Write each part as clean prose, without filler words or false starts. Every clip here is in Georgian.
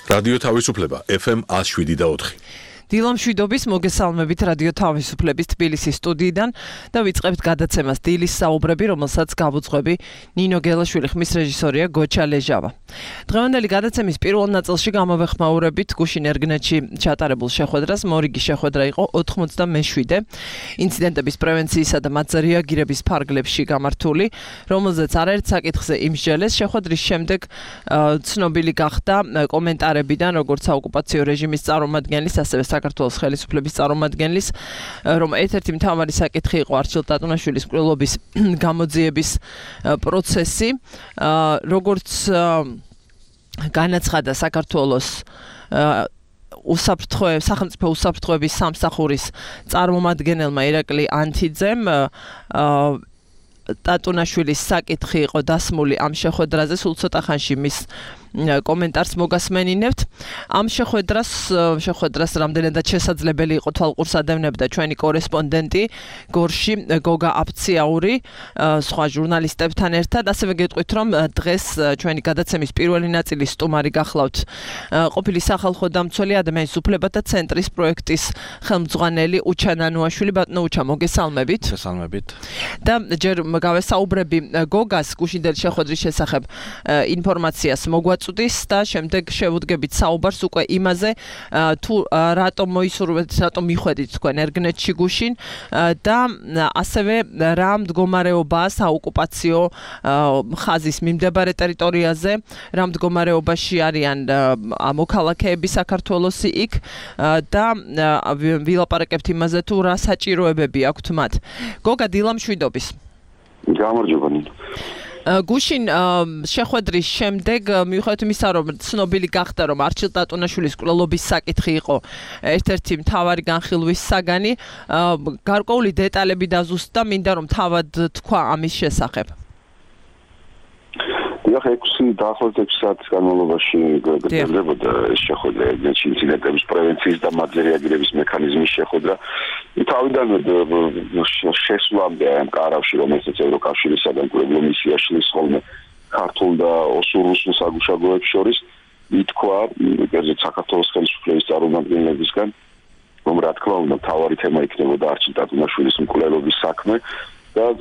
რადიო თავისუფლება FM 107.4. დილამშვიდობის მოგესალმებით რადიო თავისუფლების თბილისის სტუდიიდან და ვიწყებთ გადაცემას დილის საუბრები, რომელსაც გავუძღვები ნინო გელაშვილი, ხმის რეჟისორია გოჩა ლეჟავა. დღევანდელი გადაცემის პირველ ნაწილში გამოვეხმაურებით გუშინ ერგნეთში ჩატარებულ შეხვედრას. მორიგი შეხვედრა იყო 97 ინციდენტების პრევენციისა და მათზე რეაგირების ფარგლებში გამართული, რომელზეც არაერთ საკითხზე იმსჯელეს. შეხვედრის შემდეგ ცნობილი გახდა კომენტარებიდან, როგორც საოკუპაციო რეჟიმის წარმომადგენლის, ასევე საქართველოს ხელისუფლების წარმომადგენლის, რომ ერთ-ერთი მთავარი საკითხი იყო არჩილ ტატუნაშვილის მკვლელობის გამოძიების პროცესი, როგორც განაცხადა საქართველოს სახელმწიფო უსაფრთხოების სამსახურის წარმომადგენელმა ირაკლი ანთიძემ, ტატუნაშვილის საკითხი იყო დასმული ამ შეხვედრაზე, სულ ცოტა ხანში მის კომენტარს მოგასმენინებთ. ამ შეხვედრას რამდენადაც შესაძლებელი იყო თვალყურს ადევნებდა ჩვენი კორესპონდენტი გორში გოგა აფციაური სხვა ჟურნალისტებთან ერთად. ასევე გეტყვით, რომ დღეს ჩვენი გადაცემის პირველი ნაწილის სტუმარი გახლავთ ყოფილი სახალხო დამცველი ადამიანის უფლებათა ცენტრის პროექტის ხელმძღვანელი უჩა ნანუაშვილი. ბატონო უჩა, მოგესალმებით. მოგესალმებით. და ჯერ გავესაუბრები გოგას გუშინდელი შეხვედრის შესახებ ინფორმაციას მოგვაწვდის და შემდეგ შევუდგებით საუბარს უკვე იმაზე, თუ რატომ მოისურვებთ, რატომ მიხვედით თქვენ ერგნეთში გუშინ და ასევე რა მდგომარეობაა საოკუპაციო ხაზის მიმდებარე ტერიტორიაზე, რა მდგომარეობაში არიან მოქალაქეები საქართველოსი იქ და ვილაპარაკებთ იმაზე, თუ რა საჭიროებები აქვთ მათ. გოგა, დილამშვიდობის. გამარჯობა. გუშინ შეხვედრის შემდეგ მიუხედავად იმისა, რომ ცნობილი გახდა, რომ არჩილ ტატუნაშვილის მკვლელობის საკითხი იყო ერთ-ერთი მთავარი განხილვის საგანი, გარკვეული დეტალები დაზუსტდა, მინდა რომ თავად თქვა ამის შესახებ. დაახლოებით 6 საათის განმავლობაში გრძელდებოდა ეს შეხვედრა, ეგრეთ ინციდენტების პრევენციის და მათზე რეაგირების მექანიზმის შეხვედრა. თავიდანვე შესვლამდე ამ კარავში, რომელსაც ევროკავშირისაგან კვლევო მისია შლის ხოლმე ქართულ და რუსულ საგუშაგოებს შორის, ითქვა ეგრეთ საქართველოს ხელისუფლების წარმომადგენლებისგან, რომ რა თქმა უნდა მთავარი თემა იქნებოდა არჩილ ტატუნაშვილის მკვლელობის საქმე. და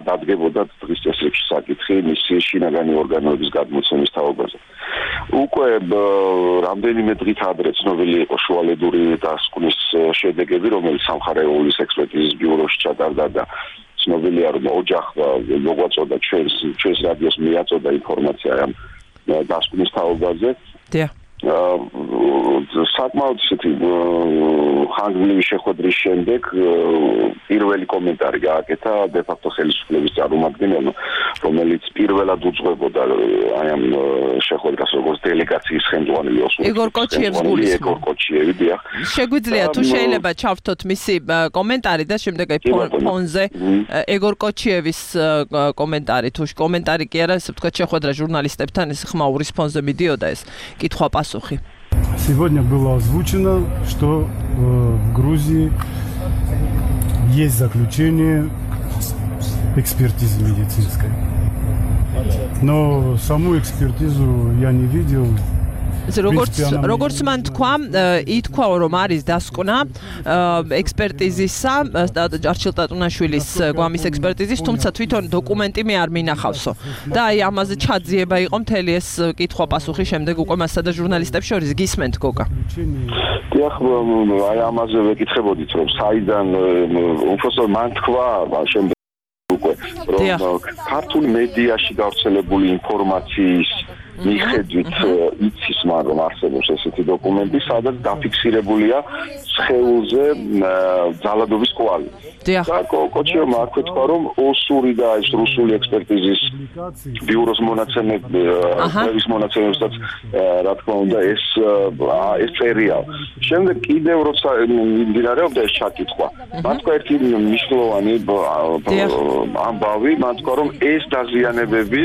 დადგებოდა დღის წესრიგში საკითხი მისი შინაგანი ორგანოების გადმოცემის თაობაზე. უკვე რამდენიმე დღით ადრე ცნობილი იყო შუალედური დასკვნის შედეგები, რომელიც სამხარეულის ექსპერტიზის ბიუროში ჩატარდა და ცნობილია, რომ ოჯახმა მოგვაწოდა ჩვენს რადიოს მიაწოდა ინფორმაცია ამ დასკვნის თაობაზე. საკმაოდ ისეთი ხანგრძლივი შეხვედრის შემდეგ პირველი კომენტარი გააკეთა დე-ფაქტო ხელისუფლების წარმომადგენელმა, რომელიც პირველად უძღვებოდა აი ამ შეხვედრას როგორც დელეგაციის ხელმძღვანელი იგორ კოჩიევს გულისხმობ. შეგვიძლია თუ შეიძლება ჩავთოთ მისი კომენტარი და შემდეგ აი ფონზე იგორ კოჩიევის კომენტარი, თუ კომენტარი კი არა, ესე ვთქვათ, შეხვედრა ჟურნალისტებთან ეს ხმაურის фонზე მიდიოდა ეს კითხვა-პასუხი. Сегодня было озвучено, что в Грузии есть заключение экспертизы медицинской. Но саму экспертизу я не видел. როგორც მან თქვა, ითქვა, რომ არის დასკვნა ექსპერტიზისა, არჩილ ტატუნაშვილის გვამის ექსპერტიზის, თუმცა თვითონ დოკუმენტი მე არ მინახავსო. და აი ამაზე ჩაძიება იყო მთელი ეს კითხვა-პასუხი შემდეგ უკვე მასსა და ჟურნალისტებს შორის. გისმენთ, გოგა? დიახ, აი ამაზე ვეკითხებოდით, რომ საიდან უბრალოდ მან თქვა შემდეგ უკვე, რომ ქართულ მედიაში გავრცელებული ინფორმაციის მიხედვით იცის, მაგრამ არსებობს ესეთი დოკუმენტი, სადაც დაფიქსირებულია სხეულზე ძალადობის კვალი. და კოჩიევმა აქვე თქვა, რომ ოსური და ეს რუსული ექსპერტიზის ბიუროს მონაცემების მონაცემებსაც რა თქმა უნდა ეს წერია. შემდეგ კიდევ როცა მიმდინარეობდა ეს ჩაკითხვა, მან თქვა ერთი მნიშვნელოვანი ამბავი, მან თქვა, რომ ეს დაზიანებები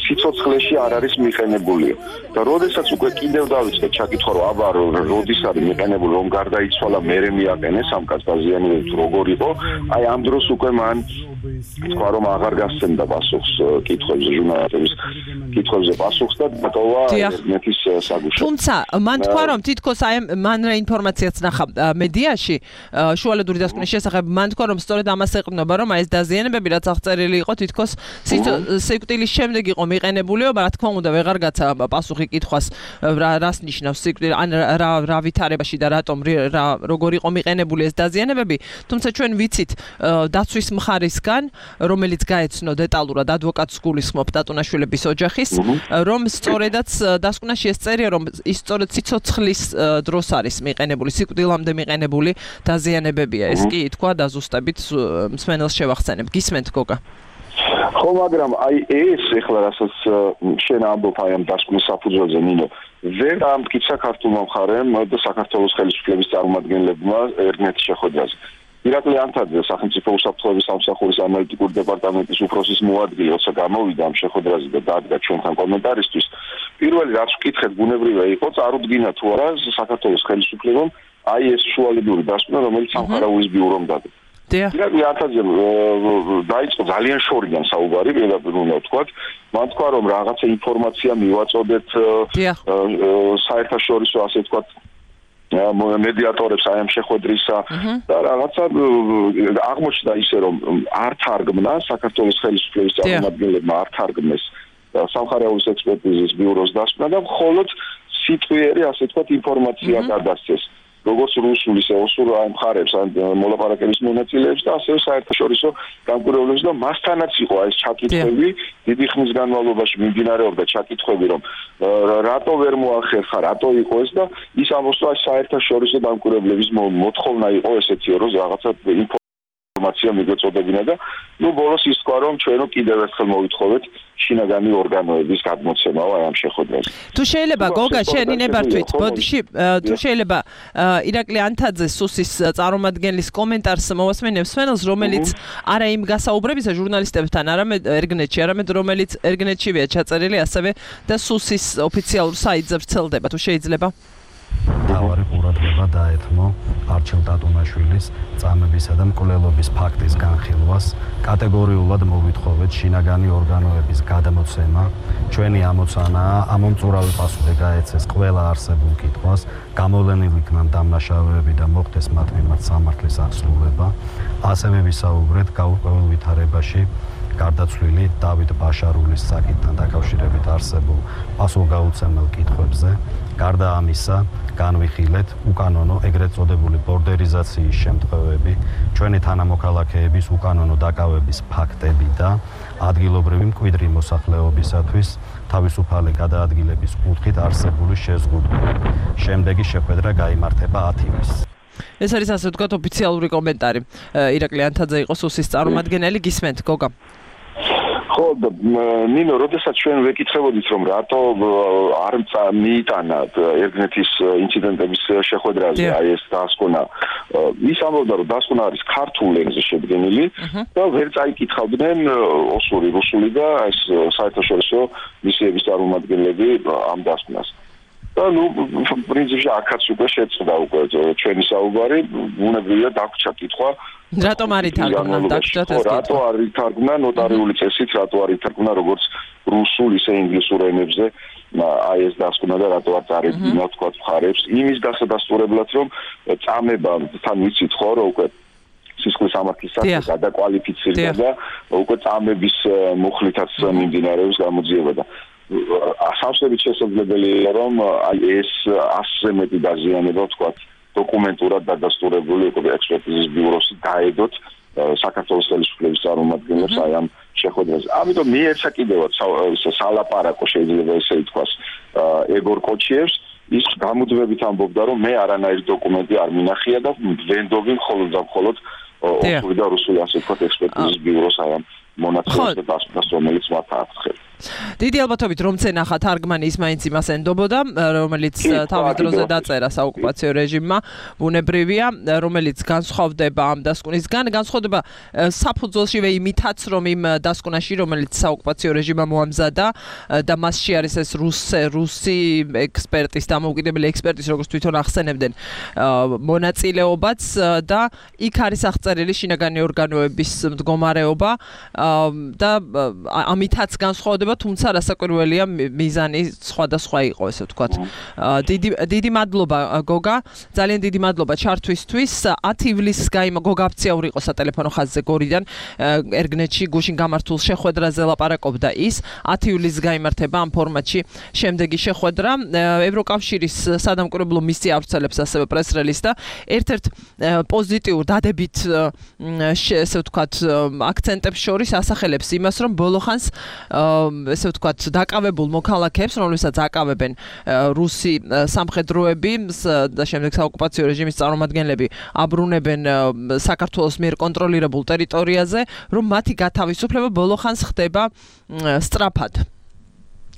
სიცოცხლეში არ არის მიყენებული. და როდესაც უკვე კიდევ დავიწყე ჩაკითხვა რომ აბა როდის არის მიყენებული რომ გარდაიცვალა მერე მიაყენეს ამ კაცს დაზიანებებს როგორ იყო აი ამ დროს უკვე მან თქვა რომ აღარ გასცემდა პასუხს კითხვებზე ჟურნალისტების კითხვებზე პასუხს და დატოვა ერთის საგუშაგო. თუმცა მან თქვა რომ თითქოს აი მან რა ინფორმაციაც ნახა მედიაში შუალედური დასკვნის შესახებ მან თქვა რომ სწორედ ამას ეყრდნობა რომ აი ეს დაზიანებები რაც აღწერილი იყო თითქოს სიკვდილის შემდეგ იყო მიყენებულიო, რა თქმა უნდა ვეღარ გაცა პასუხი კითხვას რას ნიშნავს სიკვდილი ან რა ვითარებაში და რატომ როგორ იყო მიყენებული ეს დაზიანებები, თუმცა ჩვენ ვიცით დაცვის მხარისგან რომელიც გაეცნო დეტალურად ადვოკატს გულისხმობ ტატუნაშვილების ოჯახის რომ სწორედაც დასკვნაში ეს წერია რომ ის სწორედ სიცოცხლის დროს არის მიყენებული სიკვდილამდე მიყენებული დაზიანებებია ეს კი თქვა და ზუსტებით მსმენელს შევახსენებ გისმენთ გოგა ხო მაგრამ აი ეს ეხლა რასაც შენ ამბობ აი ამ დასკვნის საფუძველზე ნინო ვერ ამტკიცა ქართულმა მხარემ და საქართველოს ხელისუფლების წარმომადგენლებმა ერთმანეთის შეხვედრაზე ირაკლი ანთაძე სახელმწიფო უსაფრთხოების სამსახურის ანალიტიკური დეპარტამენტის უფროსის მოადგილე როცა გამოვიდა ამ შეხვედრაზე და დადგა ჩვენთან კომენტარისთვის პირველი რაც ვკითხეთ ბუნებრივია იყო წარუდგინა თუ არა საქართველოს ხელისუფლებამ აი ეს შუალედური დასკვნა რომელიც სამხარაულის ბიურომ დადგა ირაკლი ანთაძე დაიწყო ძალიან შორიდან საუბარი პირდაპირ უნდა ვთქვათ მან თქვა რომ რაღაცა ინფორმაცია მივაწოდეთ საერთაშორისო ასე ვთქვათ მედიატორებს აი ამ შეხვედრისა და რაღაცა აღმოჩნდა ისე რომ არ თარგმნა საქართველოს ხელისუფლების წარმომადგენლებმა არ თარგმნეს სამხარაულის ექსპერტიზის ბიუროს დასკვნა და მხოლოდ სიტყვიერი ასე ვთქვათ ინფორმაცია გადასცეს როგორც რუსული სეოსურ აი მხარებს ან მოლაპარაკების მონაწილეებს და ასევე საერთაშორისო გამკვირვებლებს და მასთანაც იყო ეს ჩაკითხვები დიდი ხნის განმავლობაში მიმდინარეობდა ჩაკითხვები რომ რატო ვერ მოახერხა რატო იყო ეს და ის ამბობს რომ საერთაშორისო გამკვირვებლების მოთხოვნა იყო ესეთი რომ რაღაცა ინფორმაცია მიგვეწოდებინა და ნუ ბოლოს ის თქვა რომ ჩვენო კიდევ ერთხელ მოვითხოვეთ შინაგანი ორგანოების გადმოცემაო აი ამ შეხვედრაზე. თუ შეიძლება გოგა შენი ნებართვით ბოდიში თუ შეიძლება ირაკლი ანთაძე სუსის წარმომადგენლის კომენტარს მოვასმენებს მსმენელს რომელიც არა იმ გასაუბრებისა ჟურნალისტებთან არამედ ერგნეტში არამედ რომელიც ერგნეტშივეა ჩაწერილი ასევე და სუსის ოფიციალურ საიტზე ვრცელდება თუ შეიძლება თავარი ყურადღება დაეთმო არჩილ ტატუნაშვილის წამებისა და მკვლელობის ფაქტის განხილვას კატეგორიულად მოვითხოვეთ შინაგანი ორგანოების გადმოცემა ჩვენი ამოცანაა ამომწურავი პასუხი გაეცეს ყველა არსებულ კითხვას გამოვლენილი იქნან დამნაშავეები და მოხდეს მათ მიმართ სამართლის აღსრულება ასევე ვისაუბრეთ გაურკვეველ ვითარებაში გარდაცვლილი დავით ბაშარულის საკითხთან დაკავშირებით არსებულ პასუხგაუცემელ კითხვებზე გარდა ამისა განვიხილეთ უკანონო ეგრეთ წოდებული ბორდერიზაციის შემთხვევები ჩვენი თანამოქალაქეების უკანონო დაკავების ფაქტები და ადგილობრივი მკვიდრი მოსახლეობისათვის თავისუფალი გადაადგილების კუთხით არსებული შეზღუდვა შემდეგი შეხვედრა გაიმართება 10 ივნისს ეს არის ასე ვთქვათ ოფიციალური კომენტარი ირაკლი ანთაძე იყო სუსის წარმომადგენელი გისმენთ გოგა ხო ნინო როდესაც ჩვენ ვეკითხებოდით რომ რატო არ მიიტანა ერგნეთის ინციდენტების შეხვედრაზე აი ეს დასკვნა ის ამბობდა რომ დასკვნა არის ქართულ ენაზე შედგენილი და ვერ წაიკითხავდნენ ოსური რუსული და ეს საერთაშორისო მისიების წარმომადგენლები ამ დასკვნას და ნუ პრინციპში აქაც უკვე შეწყდა უკვე ჩვენი საუბარი ბუნებრივია დაგვჭა კითხვა რატომ არ ითარგმნა დაგვჭათ ეს კითხვა რატო არ ითარგმნა ნოტარიული წესით რატო არ ითარგმნა როგორც რუსულ ისე ინგლისურ ენებზე აი ეს დასკვნა და რატო არ წარებინა თქვა მხარებს იმის დასადასტურებლად რომ წამება თან ვიცით ხო რომ უკვე სისხლის სამართლისას გადაკვალიფიცირდა და უკვე წამების მუხლითაც მიმდინარეობს გამოძიება და ასამსებით შესაძლებელია რომ აი ეს 100-ზე მეტი დაზიანება თქვა დოკუმენტურად დადასტურებული იყო ექსპერტიზის ბიუროს დაედოთ საქართველოს ხელისუფლების წარმომადგენლებს აი ამ შეხვედრაზე. ამიტომ მიეცა კიდევაც სალაპარაკო შეიძლება ესე ითქვას ეგორ კოჩიევს ის გამოძვებით ამბობდა რომ მე არანაირი დოკუმენტი არ მინახია და ვენდობი მხოლოდ და მხოლოდ ოსური და რუსული ასე ვთქვათ ექსპერტიზის ბიუროს აი ამ მონაცემებს და დასკვნას, რომელიც მათ აცხებს. დიდი ალბათობით რომ ცენახა თარგმანი ის მაინც იმას ენდობოდა, რომელიც თავის დროზე დაწერა საოკუპაციო რეჟიმმა, ბუნებრივია, რომელიც განსხვავდება ამ დასკვნისგან, განსხვავდება საფუძველშივე იმითაც, რომ იმ დასკვნაში, რომელიც საოკუპაციო რეჟიმმა მოამზადა და მასში არის ეს რუსი ექსპერტის, დამოუკიდებელი ექსპერტის, როგორც თვითონ ახსენებდნენ, მონაწილეობაც და იქ არის აღწერილი შინაგანი ორგანოების მდგომარეობა და ამითაც განსხვავდება, თუმცა რასაკვირველია მიზანი სხვადასხვა იყო, ესე ვთქვათ. დიდი მადლობა გოგა, ძალიან დიდი მადლობა ჩართვისთვის. 10 ივლისს გოგა აფციაური იყო სატელეფონო ხაზზე გორიდან, ერგნეთში გუშინ გამართულ შეხვედრაზე ლაპარაკობდა ის. 10 ივლისს გაიმართება ამ ფორმატში შემდეგი შეხვედრა. ევროკავშირის სადამკვირვებლო მისია ავრცელებს ასევე პრეს-რელიზს და ერთ-ერთ პოზიტიურ დადებით ესე ვთქვათ აქცენტებს შორის ასახელებს იმას, რომ ბოლო ხანს ესე ვთქვათ დაკავებულ მოქალაქეებს, რომლებსაც აკავებენ რუსი სამხედროები და შემდეგ საოკუპაციო რეჟიმის წარმომადგენლები აბრუნებენ საქართველოს მიერ კონტროლირებულ ტერიტორიაზე, რომ მათი გათავისუფლება ბოლო ხანს ხდება სწრაფად.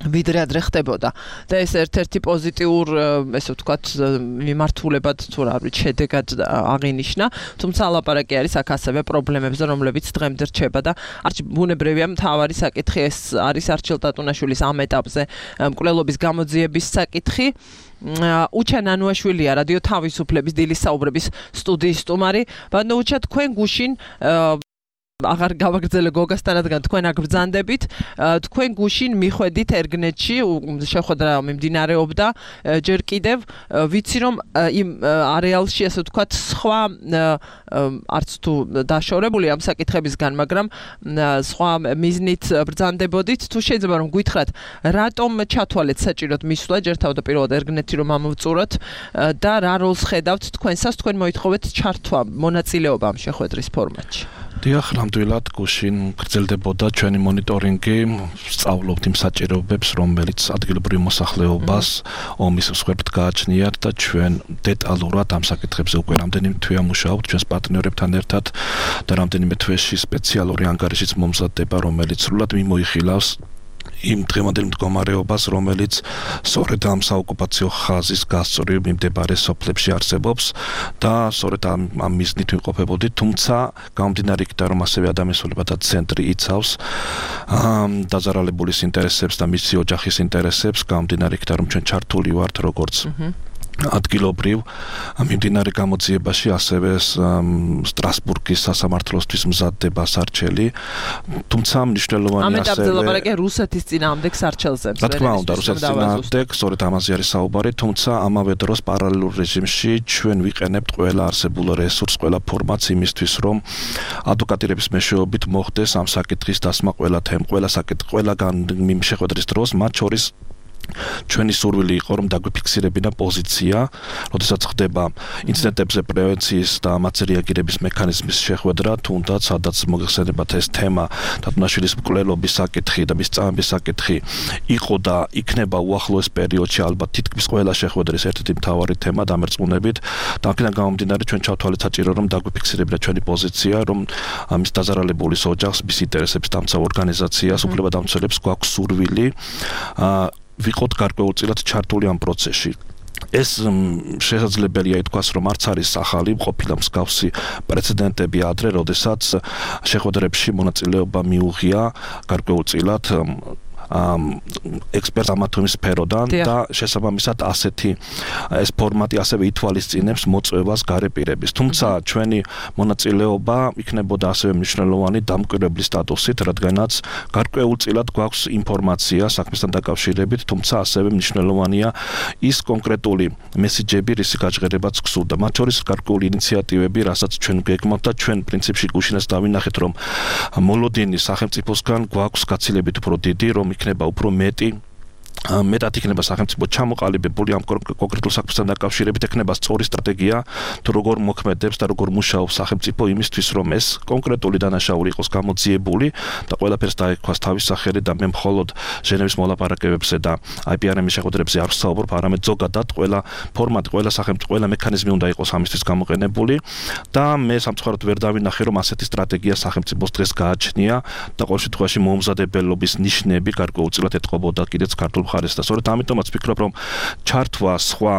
ვიდრე ადრე ხდებოდა და ეს ერთ-ერთი პოზიტიურ ესე ვთქვათ მიმართულებად თუ რა ვიცი შედეგად აღინიშნა, თუმცა ლაპარაკი არის აქ ასევე პრობლემებზე, რომლებიც დღემდე რჩება და ბუნებრივია მთავარი საკითხი ეს არის არჩილ ტატუნაშვილის ამ ეტაპზე მკვლელობის გამოძიების საკითხი. უჩა ნანუაშვილია რადიო თავისუფლების დილის საუბრების სტუდიის სტუმარი. ბატონო უჩა, თქვენ გუშინ აღარ გავაგრძელე გოგასთან, რადგან თქვენ აქ ბრძანდებით, თქვენ გუშინ მიხვედით ერგნეთში, შეხვედრა მიმდინარეობდა ჯერ კიდევ, ვიცი რომ იმ არეალში ასე ვთქვათ სხვა არც თუ დაშორებული ამ საკითხებისგან, მაგრამ სხვა მიზნით ბრძანდებოდით, თუ შეიძლება რომ გითხრათ, რატომ ჩათვალეთ საჭიროდ მისვლა ჯერ თავდაპირველად ერგნეთი რომ ამოვწუროთ და რა როლს ხედავთ თქვენსას, თქვენ მოითხოვეთ ჩართვა, მონაწილეობა ამ შეხვედრის ფორმატში? დიახ, ნამდვილად გუშინ გრძელდებოდა ჩვენი მონიტორინგი, სწავლობთ იმ საჭიროებებს, რომელიც ადგილობრივ მოსახლეობას ომის მსხვერპლად გააჩნიათ და ჩვენ დეტალურად ამ საკითხებზე უკვე რამდენიმე თვეა მუშაობთ ჩვენს პარტნიორებთან ერთად და რამდენიმე თვეში სპეციალური ანგარიშიც მომზადდება, რომელიც სრულად მიმოიხილავს იმ დღევანდელ მდგომარეობას, რომელიც სწორედ ამ საოკუპაციო ხაზის გასწორებით მიმდებარე სოფლებში არსებობს და სწორედ ამ მიზნით ვიმყოფებოდით, თუმცა გამომდინარე იქიდან, რომ ასევე ადამიანთა ცენტრი იცავს დაზარალებულის ინტერესებს და მისი ოჯახის ინტერესებს, გამომდინარე იქიდან, რომ ჩვენ ჩართული ვართ როგორც ადგილობრივ მიმდინარე გამოძიებაში, ასევე სტრასბურგის სასამართლოსთვის მზადდება სარჩელი, თუმცა მნიშვნელოვანი ამ ეტაპზე ლაპარაკია რუსეთის წინააღმდეგ სარჩელზე. რა თქმა უნდა, რუსეთის წინააღმდეგ, სწორედ ამაზე არის საუბარი, თუმცა ამავე დროს პარალელურ რეჟიმში ჩვენ ვიყენებთ ყველა არსებულ რესურსს, ყველა ფორმატს იმისთვის, რომ ადვოკატირების მეშვეობით მოხდეს ამ საკითხის დასმა ყველა ყველაგან შეხვედრის დროს, მათ შორის ჩვენი სურვილი იყო, რომ დაგვიფიქსირებინა პოზიცია, როდესაც ხდება ინციდენტებზე პრევენციის და ამაზე რეაგირების მექანიზმის შეხვედრა, თუნდაც სადაც მოგეხსენებათ ეს თემა, ტატუნაშვილის მკვლელობის საკითხი და მის წამების საკითხი იყო და იქნება უახლოეს პერიოდში ალბათ თითქმის ყველა შეხვედრის ერთ-ერთი მთავარი თემა დამერწმუნებით და აქედან გამომდინარე ჩვენ ჩავთვალეთ საჭირო, რომ დაგვიფიქსირებინა ჩვენი პოზიცია, რომ ამის დაზარალებულის ოჯახს, მის ინტერესებს დამცავ ორგანიზაციას, უფლებადამცველებს გვაქვს სურვილი ვიყოთ გარკვეულწილად ჩართული ამ პროცესში. ეს შესაძლებელია ითქვას, რომ არც არის ახალი, ყოფილა მსგავსი პრეცედენტები ადრე, როდესაც შეხვედრებში მონაწილეობა მიუღია გარკვეულწილად ექსპერტ ამა თუ იმ სფეროდან და შესაბამისად ასეთი ეს ფორმატი ასევე ითვალისწინებს მოწვევას გარეპირების. თუმცა ჩვენი მონაწილეობა იქნებოდა ასევე მნიშვნელოვანი დამკვირვებლის სტატუსით, რადგანაც გარკვეულწილად გვაქვს ინფორმაცია საქმესთან დაკავშირებით, თუმცა ასევე მნიშვნელოვანია ის კონკრეტული მესიჯები, რისი გაჟღერებაც გსურდა. მათ შორის გარკვეული ინიციატივები, რასაც ჩვენ გეგმავთ და ჩვენ პრინციპში გუშინაც დავინახეთ, რომ მოლოდინის სახელმწიფოსგან გვაქვს გაცილებით უფრო დიდი, რომ იქნება უფრო მეტი მეტად იქნება სახელმწიფო ჩამოყალიბებული ამ კონკრეტულ საქმესთან დაკავშირებით ექნება სწორი სტრატეგია თუ როგორ მოქმედებს და როგორ მუშაობს სახელმწიფო იმისთვის რომ ეს კონკრეტული დანაშაული იყოს გამოძიებული და ყველაფერს დაექვას თავის სახელი და მე მხოლოდ ჟენევის მოლაპარაკებებზე და IPRM-ის შეხვედრებზე არ ვსაუბრობ, არამედ ზოგადად ყველა ფორმატი, ყველა სახელმწიფო, ყველა მექანიზმი უნდა იყოს ამისთვის გამოყენებული და მე სამწუხაროდ ვერ დავინახე რომ ასეთი სტრატეგია სახელმწიფოს დღეს გააჩნია და ყოველ შემთხვევაში მოუმზადებელობის ნიშნები გარკვეულწილად ეთყობოდა კიდეც ქართულ მხარეს და სწორედ ამიტომაც ვფიქრობ რომ ჩართვა სხვა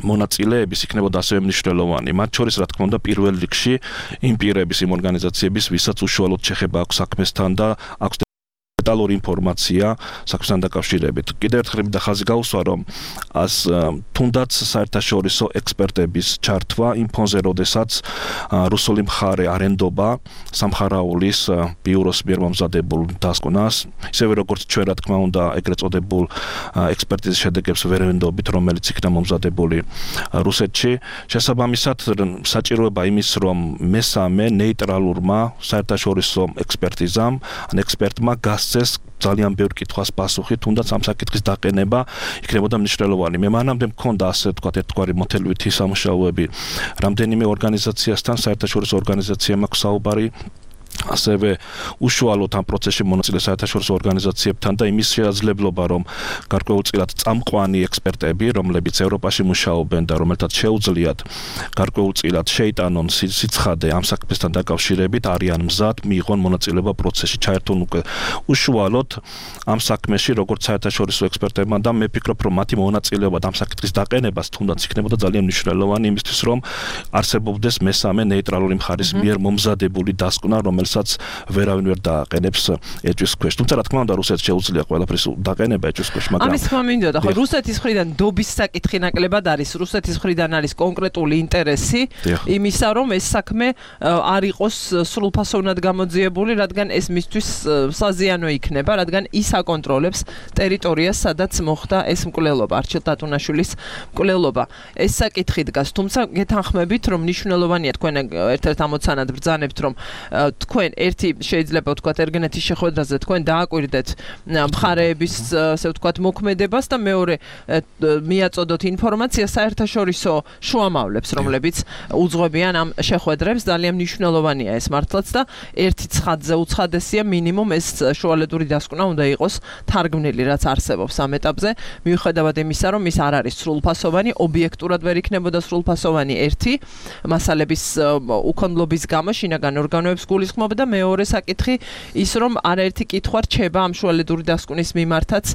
მონაწილეების იქნებოდა ასევე მნიშვნელოვანი. მათ შორის რა თქმა უნდა პირველ რიგში იმ პირების, იმ ორგანიზაციების, ვისაც უშუალოდ შეხება აქვს საქმესთან და აქვს დეტალური ინფორმაცია საქმესთან დაკავშირებით. კიდევ ერთხელ და ხაზი გაუსვა რომ თუნდაც საერთაშორისო ექსპერტების ჩართვა იმ ფონზე, როდესაც რუსული მხარე არენდობა სამხარაულის ბიუროს მიერ მომზადებულ დასკვნას, ისევე როგორც ჩვენ რა თქმა უნდა ეგრეთ წოდებულ ექსპერტიზის შედეგებს ვერ ვენდობით, რომელიც იქნა მომზადებული რუსეთში. შესაბამისად, საჭიროება იმის, რომ მესამე ნეიტრალურმა საერთაშორისო ექსპერტიზამ, ან ექსპერტმა გასცეს ძალიან ბევრ კითხვას პასუხი, თუნდაც ამ საკითხის დაყენება იქნებოდა მნიშვნელოვანი. მე მანამდე მქონდა ასე ვთქვათ ერთგვარი მოთელვითი სამუშაოები რამდენიმე ორგანიზაციასთან, საერთაშორისო ორგანიზაციამ აქვს საუბარი ასევე უშუალოდ ამ პროცესში მონაწილე საერთაშორისო ორგანიზაციებთან და იმის შესაძლებლობა რომ გარკვეულწილად წამყვანი ექსპერტები, რომლებიც ევროპაში მუშაობენ და რომელთაც შეუძლიათ გარკვეულწილად შეიტანონ სიცხადე ამ საქმესთან დაკავშირებით, არიან მზად მიიღონ მონაწილეობა პროცესში, ჩაერთონ უკვე უშუალოდ ამ საქმეში როგორც საერთაშორისო ექსპერტებმა და მე ვფიქრობ რომ მათი მონაწილეობა ამ საკითხის დაყენებას თუნდაც იქნებოდა ძალიან მნიშვნელოვანი იმისთვის რომ არსებობდეს მესამე ნეიტრალური მხარის მიერ მომზადებული დასკვნა, რომელსაც ვერავინ ვერ დააყენებს ეჭვის ქვეშ. თუმცა რა თქმა უნდა რუსეთს შეუძლია ყველაფრის დაყენება ეჭვის ქვეშ, მაგრამ ამის თქმა მინდოდა, ხო, რუსეთის მხრიდან დობის საკითხი ნაკლებად არის, რუსეთის მხრიდან არის კონკრეტული ინტერესი იმისა, რომ ეს საქმე არ იყოს სრულფასოვნად გამოძიებული, რადგან ეს მისთვის საზიანო იქნება, რადგან ის აკონტროლებს ტერიტორიას, სადაც მოხდა ეს მკვლელობა, არჩილ ტატუნაშვილის მკვლელობა. ეს საკითხი დგას, თუმცა გეთანხმებით, რომ მნიშვნელოვანია თქვენ ერთ-ერთ ამოცანად ბრძანებთ, რომ თქვენ ერთი შეიძლება ვთქვათ ერგენეთის შეხვედრაზე თქვენ დააკვირდეთ მხარეების ასე ვთქვათ მოქმედებას და მეორე მიაწოდოთ ინფორმაცია საერთაშორისო შუამავლებს, რომლებიც უძღვებიან ამ შეხვედრებს. ძალიან მნიშვნელოვანია ეს მართლაც და ერთი ცხადზე უცხადესია მინიმუმ ეს შუალედური დასკვნა უნდა იყოს თარგმნილი, რაც არსებობს ამ ეტაპზე, მიუხედავად იმისა, რომ ის არ არის სრულფასოვანი, ობიექტურად ვერ იქნებოდა სრულფასოვანი ერთი მასალების უქონლობის გამო შინაგან ორგანოებს გულისხმობა და მეორე საკითხი ის რომ არაერთი კითხვა რჩება ამ შუალედური დასკვნის მიმართაც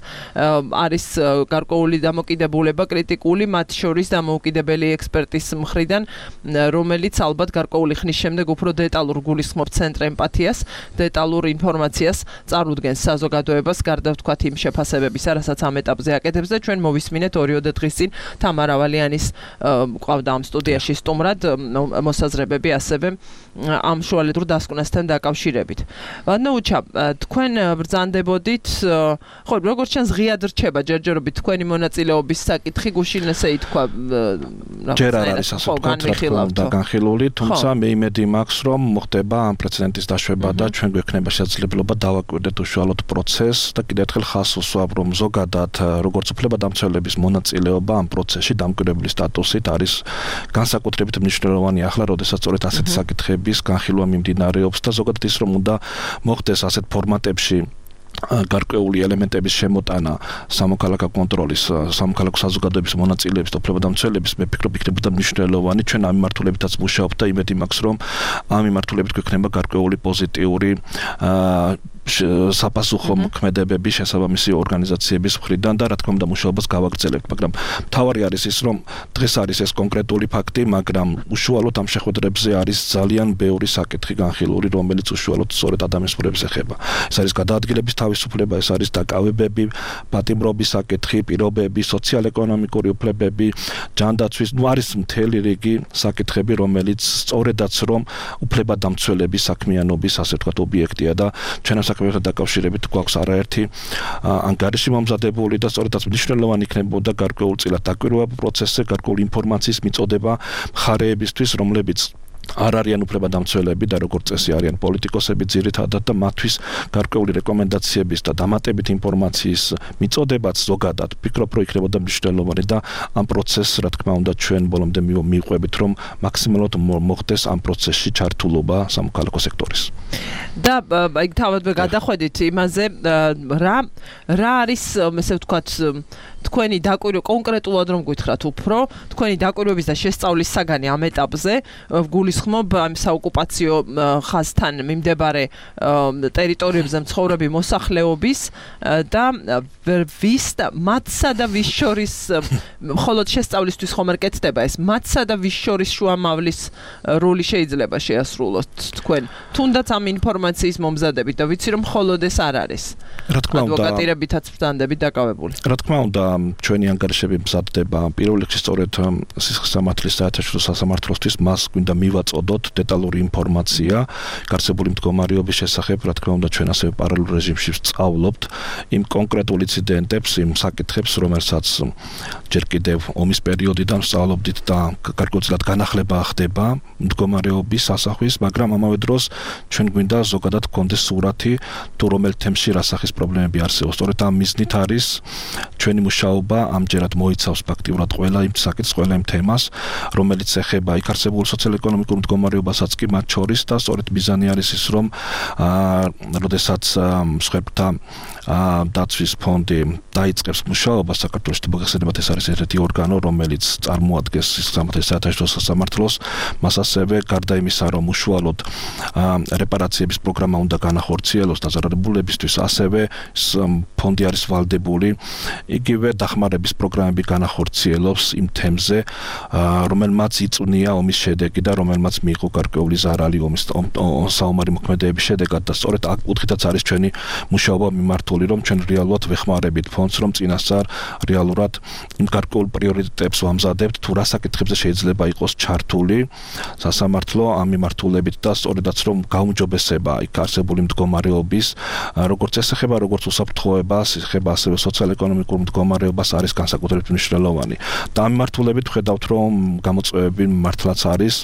არის გარკვეული დამოკიდებულება კრიტიკული მათ შორის დამოუკიდებელი ექსპერტის მხრიდან, რომელიც ალბათ გარკვეული ხნის შემდეგ უფრო დეტალურ გულისხმობს ცენტრ ემპათიას, დეტალურ ინფორმაციას წარუდგენს საზოგადოებას გარდა ვთქვათ იმ შეფასებებისა, რასაც ამ ეტაპზე აკეთებს და ჩვენ მოვისმინეთ 2 დღის წინ თამარ ავალიანის ყავდა ამ სტუდიაში სტუმრად მოსაზრებები ასევე ამ შუალედურ დასკვნასთან დაკავშირებით. ვადნაუჩა, თქვენ ბრძანდებოდით, ხო, როგორც ჩანს ღიად რჩება ჯერჯერობით თქვენი მონაწილეობის საკითხი, გუშინ ესე ითქვა, ჯერ არ არის ასე ვთქვათ, განხილული, თუმცა მე იმედი მაქვს, რომ მოხდება ამ პრეცედენტის დაშვება და ჩვენ გვექნება შესაძლებლობა დავაკვირდეთ უშუალოდ პროცესს და კიდევ ერთხელ ხაზს ვუსვამ, რომ ზოგადად როგორც უფლებადამცველების მონაწილეობა ამ პროცესში დამკვირვებლის სტატუსით არის განსაკუთრებით მნიშვნელოვანი ახლა, როდესაც სწორედ ასეთი საკითხების განხილვა მიმდინარეობს და ზოგადად ის რომ უნდა მოხდეს ასეთ ფორმატებში გარკვეული ელემენტების შემოტანა სამოქალაქო კონტროლის, სამოქალაქო საზოგადოების მონაწილეების და უფლებადამცველების, მე ვფიქრობ იქნებოდა მნიშვნელოვანი. ჩვენ ამ მიმართულებითაც მუშაობთ და იმედი მაქვს, რომ ამ მიმართულებით გვექნება გარკვეული პოზიტიური საპასუხო მოქმედებები შესაბამისი ორგანიზაციების მხრიდან და რა თქმა უნდა მუშაობას გავაგრძელებთ, მაგრამ მთავარი არის ის, რომ დღეს არის ეს კონკრეტული ფაქტი, მაგრამ უშუალოდ ამ შეხვედრებზე არის ძალიან ბევრი საკითხი განხილული, რომელიც უშუალოდ სწორედ ადამიანის უფლებებს ეხება. ეს არის გადაადგილების თავისუფლება, ეს არის დაკავებები, პატიმრობის საკითხი, პირობები, სოციალ-ეკონომიკური უფლებები, ჯანდაცვის, არის მთელი რიგი საკითხები, რომელიც სწორედაც რომ უფლებადამცველების საქმიანობის ასე ვთქვათ ობიექტია და ჩვენ საქმეებთან დაკავშირებით გვაქვს არაერთი ანგარიში მომზადებული და სწორედაც მნიშვნელოვანი იქნებოდა გარკვეულწილად დაკვირვება პროცესზე, გარკვეული ინფორმაციის მიწოდება მხარეებისთვის, რომლებიც არ არიან უფლებადამცველები და როგორც წესი არიან პოლიტიკოსები ძირითადად და მათთვის გარკვეული რეკომენდაციების და დამატებით ინფორმაციის მიწოდებაც ზოგადად ვფიქრობ რომ იქნებოდა მნიშვნელოვანი და ამ პროცესს რა თქმა უნდა ჩვენ ბოლომდე მივყვებით რომ მაქსიმალურად მოხდეს ამ პროცესში ჩართულობა სამოქალაქო სექტორის და აი თავადვე გადახვედით იმაზე რა არის ესე ვთქვათ თქვენი დაკვირვება კონკრეტულად რომ გითხრათ უფრო თქვენი დაკვირვების და შესწავლის საგანი ამ ეტაპზე გულისხმობ ამ საოკუპაციო ხაზთან მიმდებარე ტერიტორიებზე მცხოვრები მოსახლეობის და ვის და მათსა და ვის შორის მხოლოდ შესწავლისთვის ხომ არ კეთდება ეს მათსა და ვის შორის შუამავლის როლი შეიძლება შეასრულოთ თქვენ თუნდაც ამ ინფორმაციის მომზადებით და ვიცი რომ მხოლოდ ეს არ არის რა თქმა უნდა ადვოკატირებითაც ბრძანდებით დაკავებული რა თქმა უნდა ჩვენი ანგარიშები მზადდება პირველ რიგში სწორედ სისხლის სამართლის საერთაშორისო სასამართლოსთვის მას გვინდა მივაწოდოთ დეტალური ინფორმაცია გარსებული მდგომარეობის შესახებ რა თქმა უნდა ჩვენ ასევე პარალელურ რეჟიმში ვსწავლობთ იმ კონკრეტულ ინციდენტებს იმ საკითხებს რომელსაც ჯერ კიდევ ომის პერიოდიდან ვსწავლობდით და გარკვეულწილად განახლება ხდება მდგომარეობის ასახვის მაგრამ ამავე დროს ჩვენ გვინდა ზოგადად გქონდეს სურათი თუ რომელ თემში რა სახის პრობლემები არსებობს სწორედ ამ მიზნით არის ჩვენი მუშაობა ამჯერად მოიცავს ფაქტიურად ყველა იმ საკითხს ყველა იმ თემას რომელიც ეხება იქ არსებულ სოციალურ-ეკონომიკურ მდგომარეობასაც კი მათ შორის და სწორედ მიზანი არის ის რომ როდესაც მსხვერპლთა დაცვის ფონდი დაიწყებს მუშაობას საქართველოს მოგეხსენებათ ეს არის ერთ-ერთი ორგანო რომელიც წარმოადგენს საერთაშორისო სასამართლოს მას ასევე გარდა იმისა რომ უშუალოდ რეპარაციების პროგრამა უნდა განახორციელოს დაზარალებულებისთვის ასევე ფონდი არის ვალდებული იგივე დახმარების პროგრამები განახორციელოს იმ თემზე რომელმაც იწვნია ომის შედეგი და რომელმაც მიიღო გარკვეული ზარალი ომის საომარი მოქმედებების შედეგად და სწორედ აქ კუთხითაც არის ჩვენი მუშაობა მიმართული რომ ჩვენ რეალურად ვეხმარებით ფონდს რომ წინასწარ რეალურად იმ გარკვეულ პრიორიტეტებს ვამზადებთ თუ რა საკითხებზე შეიძლება იყოს ჩართული სასამართლო ამ მიმართულებით და სწორედაც რომ გაუმჯობესება იქ არსებული მდგომარეობის როგორც ეს ეხება როგორც უსაფრთხოებას ეხება ასევე სოციალურ-ეკონომიკურ მდგომარეობას არის განსაკუთრებით მნიშვნელოვანი და ამ მიმართულებით ხედავთ რომ გამოწვევები მართლაც არის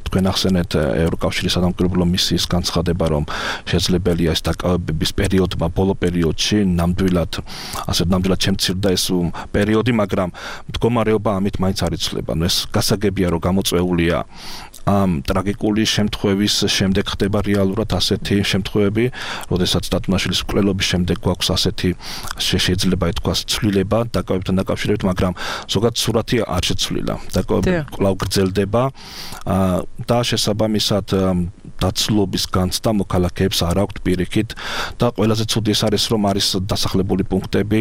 თქვენ ახსენეთ ევროკავშირის სადამკვირვებლო მისიის განცხადება რომ შესაძლებელია ეს დაკავებების პერიოდმა ბოლო პერიოდში ნამდვილად შემცირდა ეს პერიოდი მაგრამ მდგომარეობა ამით მაინც არ იცვლება ეს გასაგებია რომ გამოწვეულია ამ ტრაგიკული შემთხვევის შემდეგ ხდება რეალურად ასეთი შემთხვევები როდესაც დათუნაშვილის მკვლელობის შემდეგ გვაქვს ასეთი შეიძლება ითქვას ცვლილება დაკავებთან დაკავშირებით მაგრამ ზოგადად სურათი არ შეცვლილა დაკავები კვლავ გრძელდება და შესაბამისად დაცლობის განცდა მოქალაქეებს არ აქვთ პირიქით და ყველაზე ცუდი ეს არის რომ არის დასახლებული პუნქტები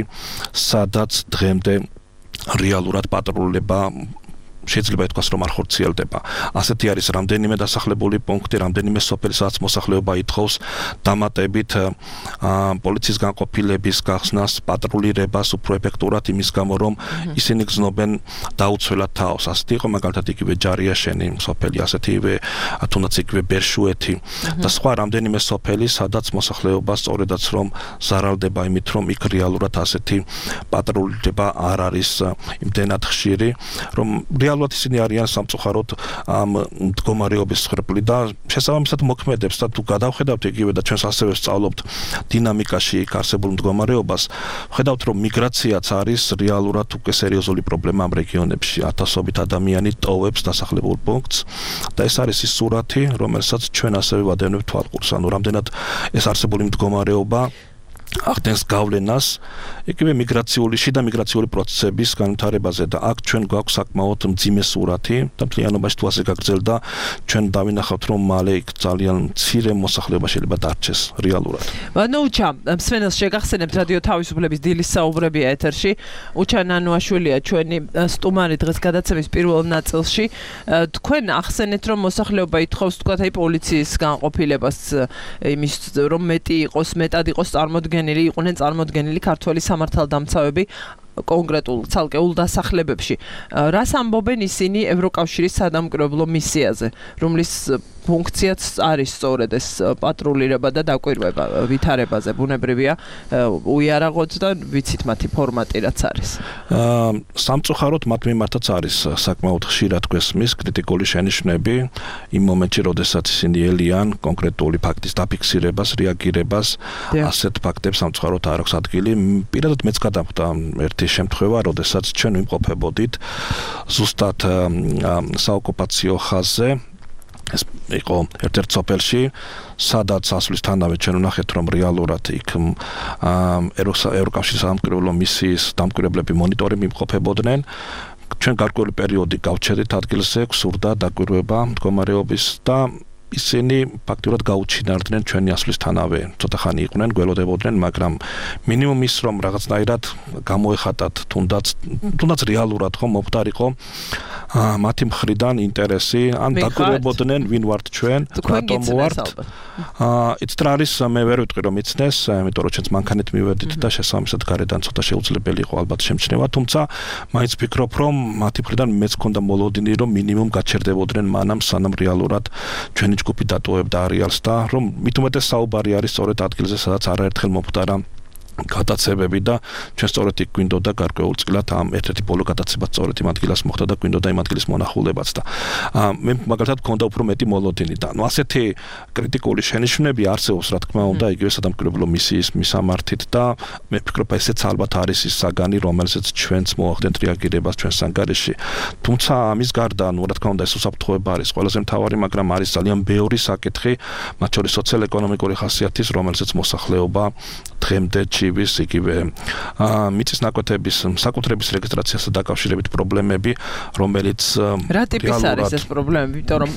სადაც დღემდე რეალურად პატრულება შეიძლება ითქვას რომ არ ხორციელდება. ასეთი არის რამდენიმე დასახლებული პუნქტი, რამდენიმე სოფელი, სადაც მოსახლეობა ითხოვს დამატებით პოლიციის განყოფილების გახსნას, პატრულირებას უფრო ეფექტურად იმის გამო რომ ისინი გზნობენ დაუცველად თავს. ასეთი იყო მაგალითად იგივე ჯარიაშენი სოფელი, ასეთივე თუნდაც იგივე ბერშუეთი და სხვა რამდენიმე სოფელი, სადაც მოსახლეობა სწორედაც რომ ზარალდება იმით რომ იქ რეალურად ასეთი პატრულირება არ არის იმდენად ხშირი, რომ რეალურად ისინი არიან სამწუხაროდ ამ მდგომარეობის მსხვერპლი და შესაბამისად მოქმედებს და თუ გადავხედავთ იგივე და ჩვენს ასევე ვსწავლობთ დინამიკაში იქ არსებულ მდგომარეობას, ვხედავთ რომ მიგრაციაც არის რეალურად უკვე სერიოზული პრობლემა ამ რეგიონებში. ათასობით ადამიანი ტოვებს დასახლებულ პუნქტს და ეს არის ის სურათი, რომელსაც ჩვენ ასევე ვადევნებთ თვალყურს. ანუ რამდენად ეს არსებული მდგომარეობა ახდენს გავლენას იგივე შიდა მიგრაციული პროცესების განვითარებაზე და აქ ჩვენ გვაქვს საკმაოდ მძიმე სურათი და მთლიანობაში თუ ასე გაგრძელდა ჩვენ დავინახავთ რომ მალე იქ ძალიან მცირე მოსახლეობა შეიძლება დარჩეს რეალურად. ანუ უჩა მსმენელს შეგახსენებთ რადიო თავისუფლების დილის საუბრებია ეთერში. უჩა ნანუაშვილია ჩვენი სტუმარი დღეს გადაცემის პირველ ნაწილში. თქვენ ახსენეთ რომ მოსახლეობა ითხოვს თქვათ აი პოლიციის განყოფილებას იმის რომ მეტად იყოს წარმოდგენილი იყვნენ წარმოდგენილი ქართველი სამართალდამცავები კონკრეტულ ცალკეულ დასახლებებში. რას ამბობენ ისინი ევროკავშირის სადამკვირვებლო მისიაზე, რომლის ფუნქციაც არის სწორედ ეს პატრულირება და დაკვირვება ვითარებაზე ბუნებრივია უიარაღოთ და ვიცით მათი ფორმატი რაც არის. სამწუხაროდ მათ მიმართაც არის საკმაოდ ხშირად გვესმის კრიტიკული შენიშვნები იმ მომენტში, როდესაც ისინი ელიან კონკრეტული ფაქტის დაფიქსირებას, რეაგირებას, ასეთ ფაქტებს სამწუხაროდ არ აქვს ადგილი. პირადად მეც გადამხვდა ერთი შემთხვევა, როდესაც ჩვენ ვიმყოფებოდით ზუსტად საოკუპაციო ხაზზე ეს იყო ერთ-ერთ სოფელში, სადაც ასვლისთანავე ჩვენ ვნახეთ, რომ რეალურად იქ ევროკავშირის სამკვირვებლო მისიის დამკვირვებლები მონიტორინგი იმყოფებოდნენ. ჩვენ გარკვეული პერიოდი გავჩერდით ადგილზე, გვსურდა დაკვირვება მდგომარეობის და ისინი ფაქტურად გაუჩინარდნენ ჩვენი ასვლისთანავე. ცოტა ხანი იყვნენ, გველოდებოდნენ, მაგრამ მინიმუმ ის რომ რაღაცნაირად გამოეხატათ, თუნდაც რეალურად ხომ მომხდარიყო მათი მხრიდან ინტერესი, ან დაკვირვებოდნენ ვინ ვართ ჩვენ, რატომ ვართ. იცით რა არის, მე ვერ ვიტყვი რომ იცნეს, იმიტომ რომ ჩვენც მანქანით მივედით და შესაბამისად გარედან ცოტა შეუძლებელი იყო ალბათ შემჩნევა, თუმცა მაინც ვფიქრობ რომ მათი მხრიდან მეც მქონდა მოლოდინი რომ მინიმუმ გაჩერდებოდნენ მანამ სანამ რეალურად ჩვენი ჯგუფი დატოვებდა არეალს და რომ მით უმეტეს საუბარი არის სწორედ ადგილზე, სადაც არაერთხელ მომხდარა გადაცებები და ჩვენ სწორედ იქ გვინდოდა გარკვეულწილად ამ ერთ-ერთი ბოლო გადაცება სწორედ იმ ადგილას მოხდა და გვინდოდა იმ ადგილის მონახულებაც და მე მაგალითად მქონდა უფრო მეტი მოლოდინი და ასეთი კრიტიკული შენიშვნები არსებობს რა თქმა უნდა იგივე სადამკვირვებლო მისიის მისამართით და მე ვფიქრობ ესეც ალბათ არის ის საგანი რომელზეც ჩვენც მოახდენთ რეაგირებას ჩვენს ანგარიში თუმცა ამის გარდა რა თქმა უნდა ეს უსაფრთხოება არის ყველაზე მთავარი მაგრამ არის ძალიან ბევრი საკითხი მათ შორის სოციალ-ეკონომიკური ხასიათის რომელზეც მოსახლეობა დღემდე ვის იგივე მიწის ნაკვეთების საკუთრების რეგისტრაციასთან დაკავშირებით პრობლემები, რომელიც რა ტიპის არის ეს პრობლემები, იმიტომ რომ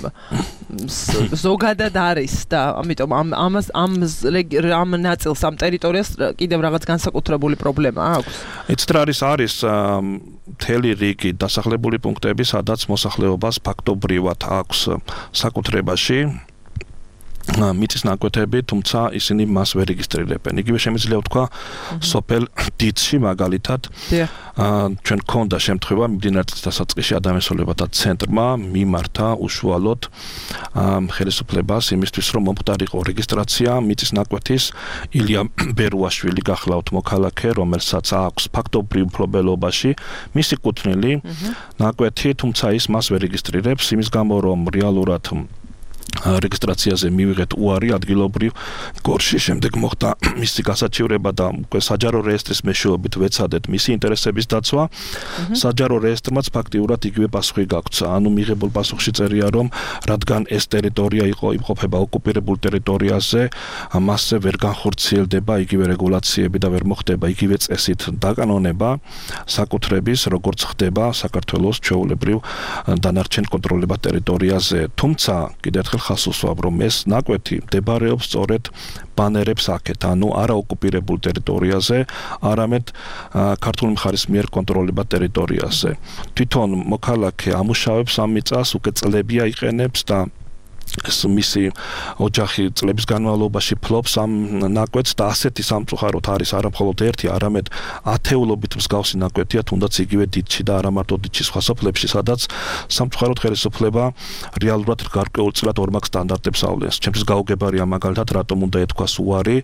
ზოგადად არის და ამიტომ ამ ნაწილს ამ ტერიტორიას კიდევ რაღაც განსაკუთრებული პრობლემა აქვს. იცით რა არის მთელი რიგი დასახლებული პუნქტები, სადაც მოსახლეობას ფაქტობრივად აქვს საკუთრებაში მიწის ნაკვეთები, თუმცა ისინი მას ვერ რეგისტრირებენ. იგივე შემიძლია ვთქვა სოფელ დიცში მაგალითად ჩვენ გქონდა შემთხვევა მიმდინარე დასაწყისში ადამიანსოლებათა ცენტრმა მიმართა უშუალოდ ხელისუფლებას იმისთვის რომ მომხდარიყო რეგისტრაცია მიწის ნაკვეთის ილია ბერუაშვილი გახლავთ მოქალაქე რომელსაც აქვს ფაქტობრივ მფლობელობაში მისი კუთვნილი ნაკვეთი, თუმცა ის მას ვერ რეგისტრირებს იმის გამო რომ რეალურად რეგისტრაციაზე მივიღეთ უარი ადგილობრივ გორში შემდეგ მოხდა მისი გასაჩივრება და უკვე საჯარო რეესტრის მეშვეობით ვეცადეთ მისი ინტერესების დაცვა საჯარო რეესტრმაც ფაქტიურად იგივე პასუხი გაგვცა ანუ მიღებულ პასუხში წერია რომ რადგან ეს ტერიტორია იყო იმყოფება ოკუპირებულ ტერიტორიაზე მასზე ვერ განხორციელდება იგივე რეგულაციები და ვერ მოხდება იგივე წესით დაკანონება საკუთრების როგორც ხდება საქართველოს ჩვეულებრივ დანარჩენ კონტროლებად ტერიტორიაზე თუმცა კიდევ ერთხელ ხას უსვამ რომ ეს ნაკვეთი მდებარეობს სწორედ ბანერებს აქეთ, ანუ არა ოკუპირებულ ტერიტორიაზე, არამედ ქართული მხარის მიერ კონტროლებად ტერიტორიაზე. თვითონ მოქალაქე ამუშავებს ამ მიწას, უკვე წლებია იყენებს და ეს მისი ოჯახი წლების განმავლობაში ფლობს ამ ნაკვეთს და ასეთი სამწუხაროდ არის არა მხოლოდ ერთი, არამედ ათეულობით მსგავსი ნაკვეთია, თუნდაც იგივე დიცში და არა მარტო დიცში სხვა სოფლებში, სადაც სამწუხაროდ ხელისუფლება რეალურად გარკვეულწილად ორმაგ სტანდარტებს ავლენს. ჩემთვის გაუგებარია მაგალითად, რატომ უნდა ეთქვას უარი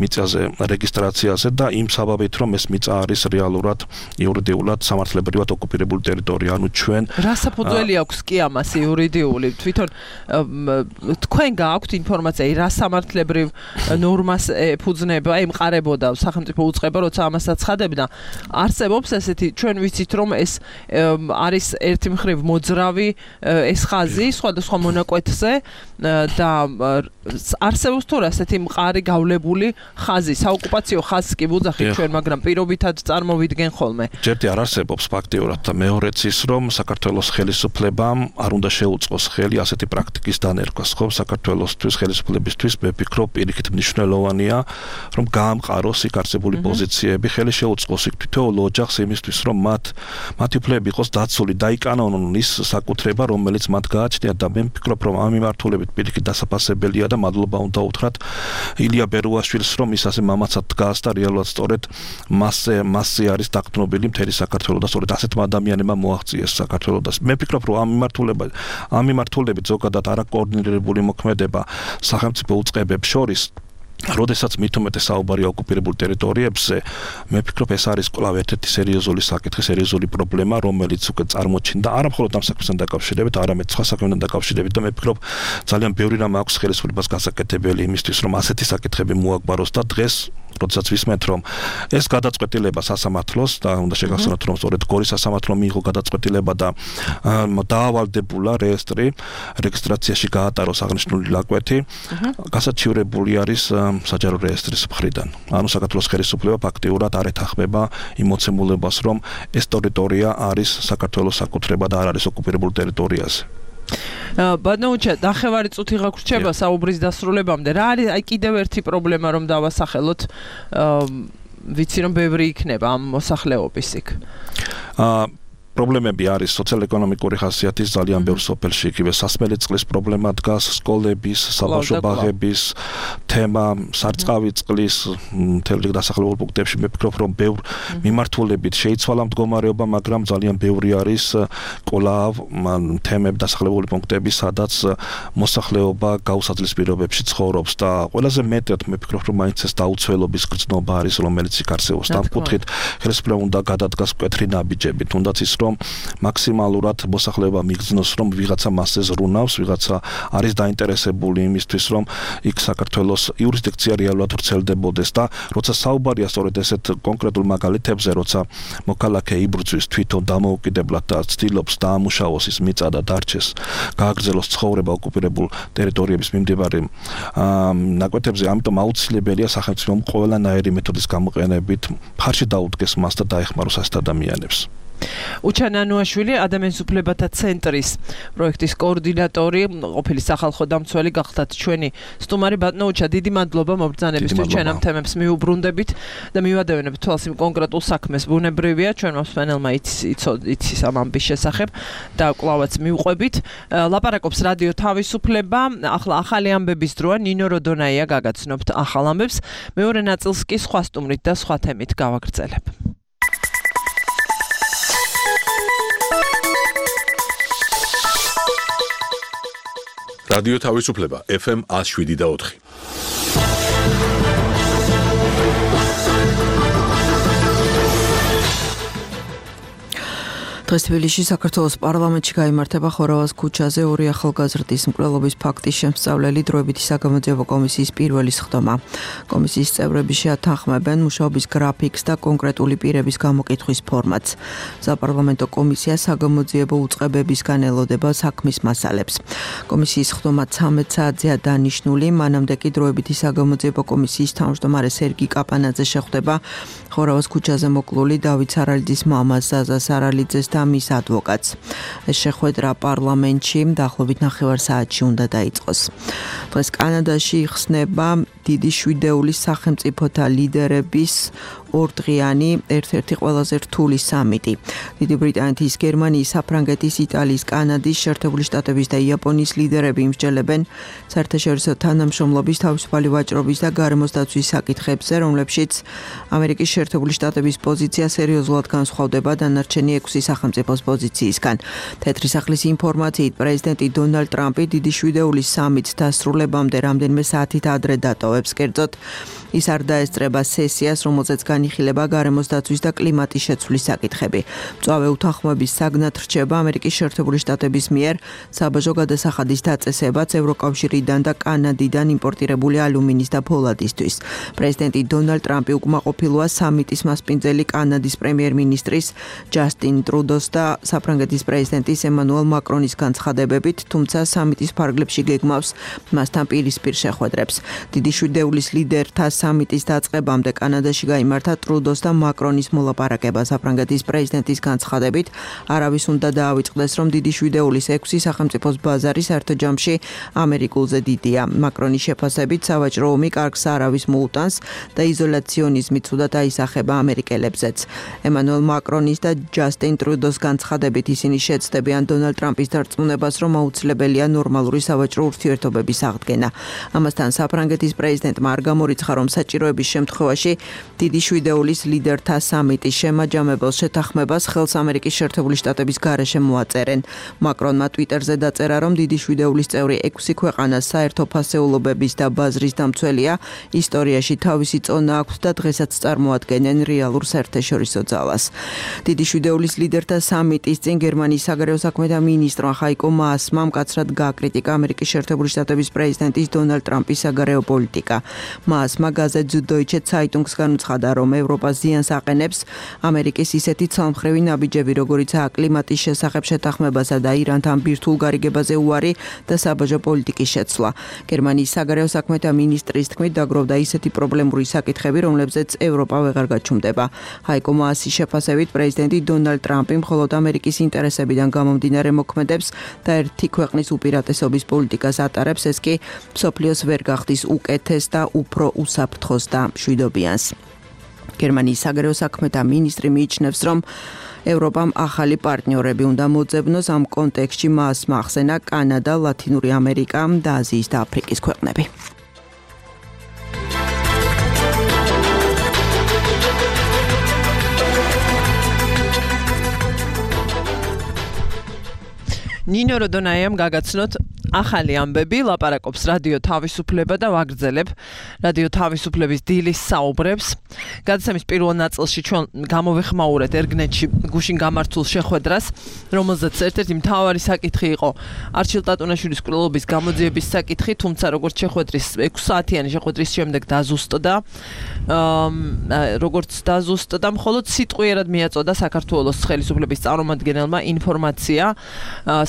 მიწაზე რეგისტრაციაზე და იმ საბაბით, რომ ეს მიწა არის რეალურად იურიდიულად სამართლებრივად ოკუპირებული ტერიტორია, ანუ ჩვენ რა საფუძველი აქვს კი ამას იურიდიული თვითონ თქვენ გააქვთ ინფორმაცია რა სამართლებრივ ნორმას ეფუძნება ემყარებოდა სახელმწიფო უწყება როცა ამას აცხადებდა არსებობს ესეთი ჩვენ ვიცით რომ ეს არის ერთი მხრივ მოძრავი ეს ხაზი სხვადასხვა მონაკვეთზე და არსებობს თუ ასეთი მყარი გავლებული ხაზი საოკუპაციო ხაზს კი ვუძახით ჩვენ მაგრამ პირობითად წარმოვიდგენ ხოლმე ჯერდი არ არსებობს ფაქტიურად და მეორეც ის რომ საქართველოს ხელისუფლებამ არ უნდა შეუწყოს ხელი ასეთი პრაქტიკის დანერგვას ხო საქართველოსთვის ხელისუფლებისთვის მე ვფიქრობ პირიქით მნიშვნელოვანია რომ გაამყაროს იქ არსებული პოზიციები ხელი შეუწყოს იქ თითოეულ ოჯახს იმისთვის რომ მათი უფლებები იყოს დაცული დაიკანონონ ის საკუთრება რომელიც მათ გააჩნიათ და მე ვფიქრობ რომ ამ მიმართულებით პირიქით დასაფასებელია და მადლობა უნდა უთხრათ ილია ბერუაშვილს რომ ის ასე მამაცად დგას და რეალურად სწორედ მასზე არის დაყრდნობილი მთელი საქართველო და სწორედ ასეთმა ადამიანებმა მოაღწიეს საქართველოს და მე ვფიქრობ რომ ამ მიმართულებით ზოგადად არა კოორდინირებული მოქმედება სახელმწიფო უწყებებს შორის როდესაც მithumetes საუბარია ოკუპირებულ ტერიტორიებზე, მე ვფიქრობ ეს არის კვლავ ერთ-ერთი სერიოზული საკითხი, სერიოზული პრობლემა, რომელიც უკვე წარმოჩინდა არა მხოლოდ ამ საქმესთან დაკავშირებით, არამედ სხვა საქმეებთან დაკავშირებით და მე ვფიქრობ ძალიან ბევრი რამ აქვს ხელისუფლებას გასაკეთებელი იმისთვის, რომ ასეთი საკითხები მოაგვაროს და დღეს როდესაც ვისმენთ, რომ ეს გადაწყვეტილება სასამართლოს და უნდა შეგახსენოთ, რომ სწორედ გორის სასამართლომ მიიღო გადაწყვეტილება და დაავალდებულა რეგისტრაციაში გაატაროს აღნიშნული ლაკვეთი, გასაჩივრებული არის საჯარო რეესტრის მხრიდან. ანუ საქართველოს ხელისუფლება ფაქტიურად არ ეთანხმება იმ მოცემულობას, რომ ეს ტერიტორია არის საქართველოს საკუთრება და არ არის ოკუპირებულ ტერიტორიაზე. ბატონო, ნახევარი წუთი გაგვრჩება საუბრის დასრულებამდე. რა არის აი კიდევ ერთი პრობლემა რომ დავასახელოთ, ვიცი რომ ბევრი იქნება ამ მოსახლეობის იქ. პრობლემები არის სოციალ-ეკონომიკური ხასიათის ძალიან ბევრ სოფელში, იგივე სასმელი წყლის პრობლემა დგას, სკოლების, საბავშვო ბაღების თემა, სარწყავი წყლის მთელი დასახლებულ პუნქტებში. მე ვფიქრობ, რომ ბევრ მიმართულებით შეიცვალა მდგომარეობა, მაგრამ ძალიან ბევრი არის კვლავ თემები, დასახლებული პუნქტები, სადაც მოსახლეობა გაუსაძლის პირობებში ცხოვრობს და ყველაზე მეტად მე ვფიქრობ, რომ მაინც ეს დაუცველობის გრძნობა არის, რომელიც იქ არსებობს. ამ კუთხით ხელისუფლება უნდა გადადგას მკვეთრი ნაბიჯები, თუნდაც ის რომ მაქსიმალურად მოსახლეობა მიგრძნოს, რომ ვიღაცა მასზე ზრუნავს, ვიღაცა არის დაინტერესებული იმისთვის, რომ იქ საქართველოს იურისდიქცია რეალურად ვრცელდებოდეს და როცა საუბარია სწორედ ესეთ კონკრეტულ მაგალითებზე, როცა მოქალაქე იბრძვის თვითონ დამოუკიდებლად და ცდილობს დაამუშავოს ის მიწა და დარჩეს, გააგრძელოს ცხოვრება ოკუპირებულ ტერიტორიების მიმდებარე ნაკვეთებზე, ამიტომ აუცილებელია სახელმწიფომ ყველანაირი მეთოდის გამოყენებით მხარში დაუდგეს მას და დაეხმაროს ასეთ ადამიანებს. უჩან ანუაშვილი ადამიანის უფლებათა ცენტრის პროექტის კოორდინატორი, ყოფილი სახალხო დამცველი გახდათ ჩვენი სტუმარი. ბატონო უჩა, დიდი მადლობა მობრძანებისთვის, ჩვენ ამ თემებს მიუბრუნდებით და მივადევნებთ თვალს იმ კონკრეტულ საქმეს. ბუნებრივია, ჩვენ მოსმენელმა იცის ამ ამბის შესახებ და კვლავაც მივყვებით. ლაპარაკობს რადიო თავისუფლება. ახლა ახალი ამბების დროა, ნინო როდონაია გაგაცნობთ ახალ ამბებს. მეორე ნაწილს კი სხვა სტუმრით და სხვა თემით გავაგრძელებ. რადიო თავისუფლება FM 107.4. დღეს თბილისში საქართველოს პარლამენტში გაიმართება ხორავას ქუჩაზე ორი ახალგაზრდის მკვლელობის ფაქტის შემსწავლელი დროებითი საგამოძიებო კომისიის პირველი სხდომა. კომისიის წევრები შეათანხმებენ მუშაობის გრაფიკს და კონკრეტული პირების გამოკითხვის ფორმატს. საპარლამენტო კომისია საგამოძიებო უწყებებისგან ელოდება საქმის მასალებს. კომისიის სხდომა 13 საათზეა დანიშნული, მანამდე კი დროებითი საგამოძიებო კომისიის თავმჯდომარე სერგი კაპანაძე შეხვდება ხორავას ქუჩაზე მოკლული დავით სარალიძის მამას ზაზა სარალიძეს და მის ადვოკატს. ეს შეხვედრა პარლამენტში დაახლოებით 9 საათში უნდა დაიწყოს. დღეს კანადაში იხსნება დიდი შვიდეულის სახელმწიფოთა ლიდერების ორდღიანი ერთ-ერთი ყველაზე რთული სამიტი. დიდი ბრიტანეთის, გერმანიის, საფრანგეთის, იტალიის, კანადის, შეერთებული შტატების და იაპონიის ლიდერები იმსჯელებენ საერთაშორისო თანამშრომლობის, თავისუფალი ვაჭრობის და გარემოს დაცვის საკითხებზე, რომლებშიც ამერიკის შეერთებული შტატების პოზიცია სერიოზულად განსხვავდება დანარჩენი 6 სახელმწიფოს პოზიციისგან. თეთრი სახლის ინფორმაციით, პრეზიდენტი დონალდ ტრამპი დიდი შვიდეულის სამიტს დასრულებამდე რამდენიმე საათით ადრე დატოვებს. კერძოდ, ის არ დაესწრება სესიას, რომელზეც განიხილება გარემოს დაცვის და კლიმატის შეცვლის საკითხები. მწვავე უთანხმოების საგნად რჩება ამერიკის შეერთებული შტატების მიერ საბაჟო გადასახადის დაწესებაც ევროკავშირიდან და კანადიდან იმპორტირებული ალუმინის და ფოლადისთვის. პრეზიდენტი დონალდ ტრამპი უკმაყოფილოა სამიტის მასპინძელი კანადის პრემიერ-მინისტრის ჯასტინ ტრუდოს და საფრანგეთის პრეზიდენტის ემანუელ მაკრონის განცხადებებით, თუმცა სამიტის ფარგლებში გეგმავს მასთან პირისპირ შეხვედრებს. დიდი შვიდეულის ლიდერთა სამიტის დაწყებამდე კანადაში გაიმართა ტრუდოს და მაკრონის მოლაპარაკება. საფრანგეთის პრეზიდენტის განცხადებით, არავის უნდა დაავიწყდეს, რომ დიდი შვიდეულის 6 სახელმწიფოს ბაზარი საერთო ჯამში ამერიკულზე დიდია. მაკრონის შეფასებით, სავაჭრო ომი კარგს არავის მოუტანს და იზოლაციონიზმი ცუდად აისახება ამერიკელებზეც. ემანუელ მაკრონის და ჯასტინ ტრუდოს ტრუდოს განცხადებით ისინი შეცდებიან დონალდ ტრამპის დარწმუნებას, რომ აუცილებელია ნორმალური სავაჭრო ურთიერთობების აღდგენა. ამასთან საფრანგეთის პრეზიდენტმა არ გამორიცხა, რომ საჭიროების შემთხვევაში დიდი შვიდეულის ლიდერთა სამიტის შემაჯამებელ შეთანხმებას ხელს ამერიკის შეერთებული შტატების გარეშე მოაწერენ. მაკრონმა ტვიტერზე დაწერა, რომ დიდი შვიდეულის წევრი 6 ქვეყანა საერთო ფასეულობების და ბაზრის დამცველია, ისტორიაში თავისი წონა აქვს და დღესაც წარმოადგენენ რეალურ საერთაშორისო ძალას. დიდი შვიდეულის ლიდერთა სამიტის წინ გერმანიის საგარეო საქმეთა მინისტრმა ხაიკო მაასმა მკაცრად გააკრიტიკა ამერიკის შეერთებული შტატების პრეზიდენტის დონალდ ტრამპის საგარეო პოლიტიკა. მაასმა გაზეთ Süddeutsche Zeitungs განუცხადა, რომ ევროპას ზიანს აყენებს ამერიკის ისეთი ცალმხრივი ნაბიჯები, როგორიცაა კლიმატის შესახებ შეთანხმებასა და ირანთან ბირთვულ გარიგებაზე უარი და საბაჟო პოლიტიკის შეცვლა. გერმანიის საგარეო საქმეთა მინისტრის თქმით, დაგროვდა ისეთი პრობლემური საკითხები, რომლებზეც ევროპა ვეღარ გაჩუმდება. ჰაიკო მაასის შეფასებით, პრეზიდენტი დონალდ ტრამპი მხოლოდ ამერიკის ინტერესებიდან გამომდინარე მოქმედებს და ერთი ქვეყნის უპირატესობის პოლიტიკას ატარებს, ეს კი მსოფლიოს ვერ გახდის უკეთეს და უფრო უსაფრთხოს და მშვიდობიანს. გერმანიის საგარეო საქმეთა მინისტრი მიიჩნევს, რომ ევროპამ ახალი პარტნიორები უნდა მოძებნოს. ამ კონტექსტში მასმა ახსენა კანადა, ლათინური ამერიკა და აზიის და აფრიკის ქვეყნები. ნინო როდონაიამ გაგაცნოთ ახალი ამბები, ლაპარაკობს რადიო თავისუფლება და ვაგრძელებ რადიო თავისუფლების დილის საუბრებს. გადაცემის პირველ ნაწილში ჩვენ გამოვეხმაურეთ ერგნეტში გუშინ გამართულ შეხვედრას, რომელზეც ერთ-ერთი მთავარი საკითხი იყო არჩილ ტატუნაშვილის მკვლელობის გამოძიების საკითხი, თუმცა როგორც შეხვედრის 6 საათიანი შეხვედრის შემდეგ დაზუსტდა, მხოლოდ სიტყვიერად მიაწოდა საქართველოს ხელისუფლების წარმომადგენელმა ინფორმაცია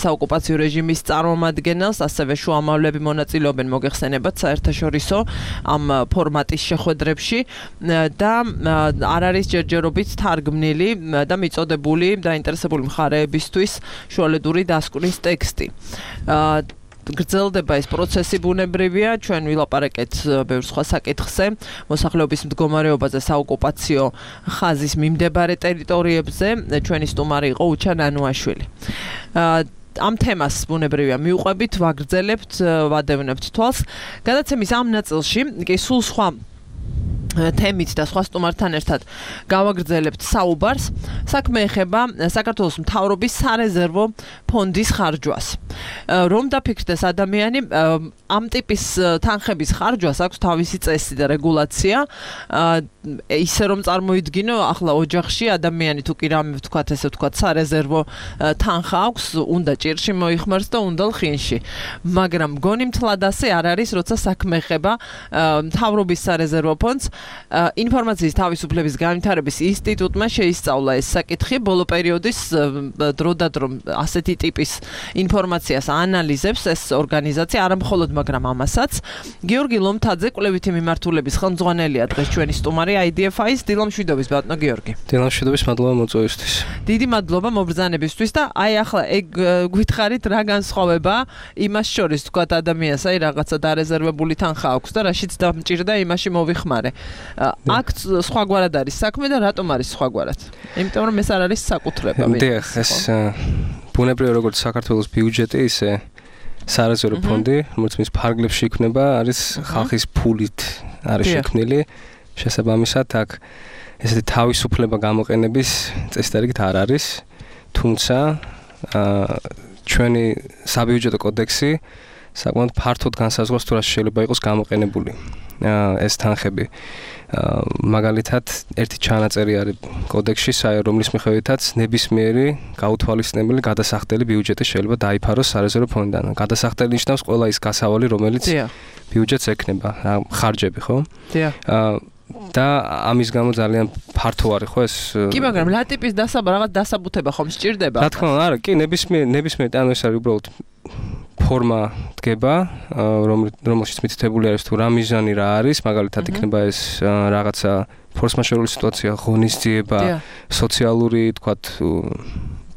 საოკუპაციო რეჟიმის წარმომადგენელს, ასევე შუამავლები მონაწილეობენ მოგეხსენებათ საერთაშორისო ამ ფორმატის შეხვედრებში და არ არის ჯერჯერობით თარგმნილი და მიწოდებული დაინტერესებული მხარეებისთვის შუალედური დასკვნის ტექსტი. გრძელდება ეს პროცესი ბუნებრივია, ჩვენ ვილაპარაკეთ ბევრ სხვა საკითხზე, მოსახლეობის მდგომარეობაზე საოკუპაციო ხაზის მიმდებარე ტერიტორიებზე. ჩვენი სტუმარი იყო უჩა ნანუაშვილი. ამ თემას ბუნებრივია მიუყვებით, ვაგრძელებთ, ვადევნებთ თვალს. გადაცემის ამ ნაწილში კი სულ სხვა თემით და სხვა სტუმართან ერთად გავაგრძელებთ საუბარს. საქმე ეხება საქართველოს მთავრობის სარეზერვო ფონდის ხარჯვას. რომ დაფიქრდეს ადამიანი, ამ ტიპის თანხების ხარჯვას აქვს თავისი წესი და რეგულაცია. ისე რომ წარმოიდგინო, ახლა ოჯახში ადამიანი თუ კი რამე ვთქვათ, ესე ვთქვათ, სარეზერვო თანხა აქვს, უნდა ჭირში მოიხმარს და უნდა ლხინში. მაგრამ მგონი მთლად ასე არ არის, როცა საქმე ეხება მთავრობის სარეზერვო ფონდს. ინფორმაციის თავისუფლების განვითარების ინსტიტუტმა შეისწავლა ეს საკითხი. ბოლო პერიოდის დროდადრო ასეთი ტიპის ინფორმაციას ანალიზებს ეს ორგანიზაცია, არა მხოლოდ, მაგრამ ამასაც. გიორგი ლომთაძე, კვლევითი მიმართულების ხელმძღვანელია დღეს ჩვენი სტუმარი IDFI-ის. დილამშვიდობის ბატონო გიორგი. დილამშვიდობის, მადლობა მოწვევისთვის. დიდი მადლობა მობრძანებისთვის და აი ახლა ეგ გითხარით რა განსხვავება იმას შორის, თქვათ ადამიანს აი რაღაცა დარეზერვებული თანხა აქვს და რაშიც დამჭირდა იმაში მოვიხმარე. აქ სხვაგვარად არის საქმე და რატომ არის სხვაგვარად? იმიტომ რომ ეს არ არის საკუთრება. დიახ, ეს ბუნებრივია, როგორც საქართველოს ბიუჯეტი, ისე სარეზერვო ფონდი, რომელიც მის ფარგლებში იქმნება, არის ხალხის ფულით არის შექმნილი. შესაბამისად, აქ ესეთი თავისუფლება გამოყენების წესდარიგით არ არის, თუმცა ჩვენი საბიუჯეტო კოდექსი საკმაოდ ფართოდ განსაზღვრავს თუ რა შეიძლება იყოს გამოყენებული ეს თანხები. მაგალითად, ერთი ჩანაწერი არის კოდექსში, რომლის მიხედვითაც ნებისმიერი გაუთვალისწინებელი გადასახდელი ბიუჯეტი შეიძლება დაიფაროს სარეზერვო ფონდიდან. გადასახდელი ნიშნავს ყველა ის გასავალი, რომელიც ბიუჯეტს ექნება, ხარჯები, ხო? და ამის გამო ძალიან ფართო არის ხო ეს? კი, მაგრამ რა ტიპის რაღაც დასაბუთება ხომ სჭირდება? რა თქმა უნდა, არა, კი, ნებისმიერი ანუ ეს არის უბრალოდ ფორმა დგება, რომელშიც მითითებული არის თუ რა მიზანი რა არის, მაგალითად იქნება ეს რაღაცა ფორსმაჟორული სიტუაცია, ღონისძიება, სოციალური, თქვათ,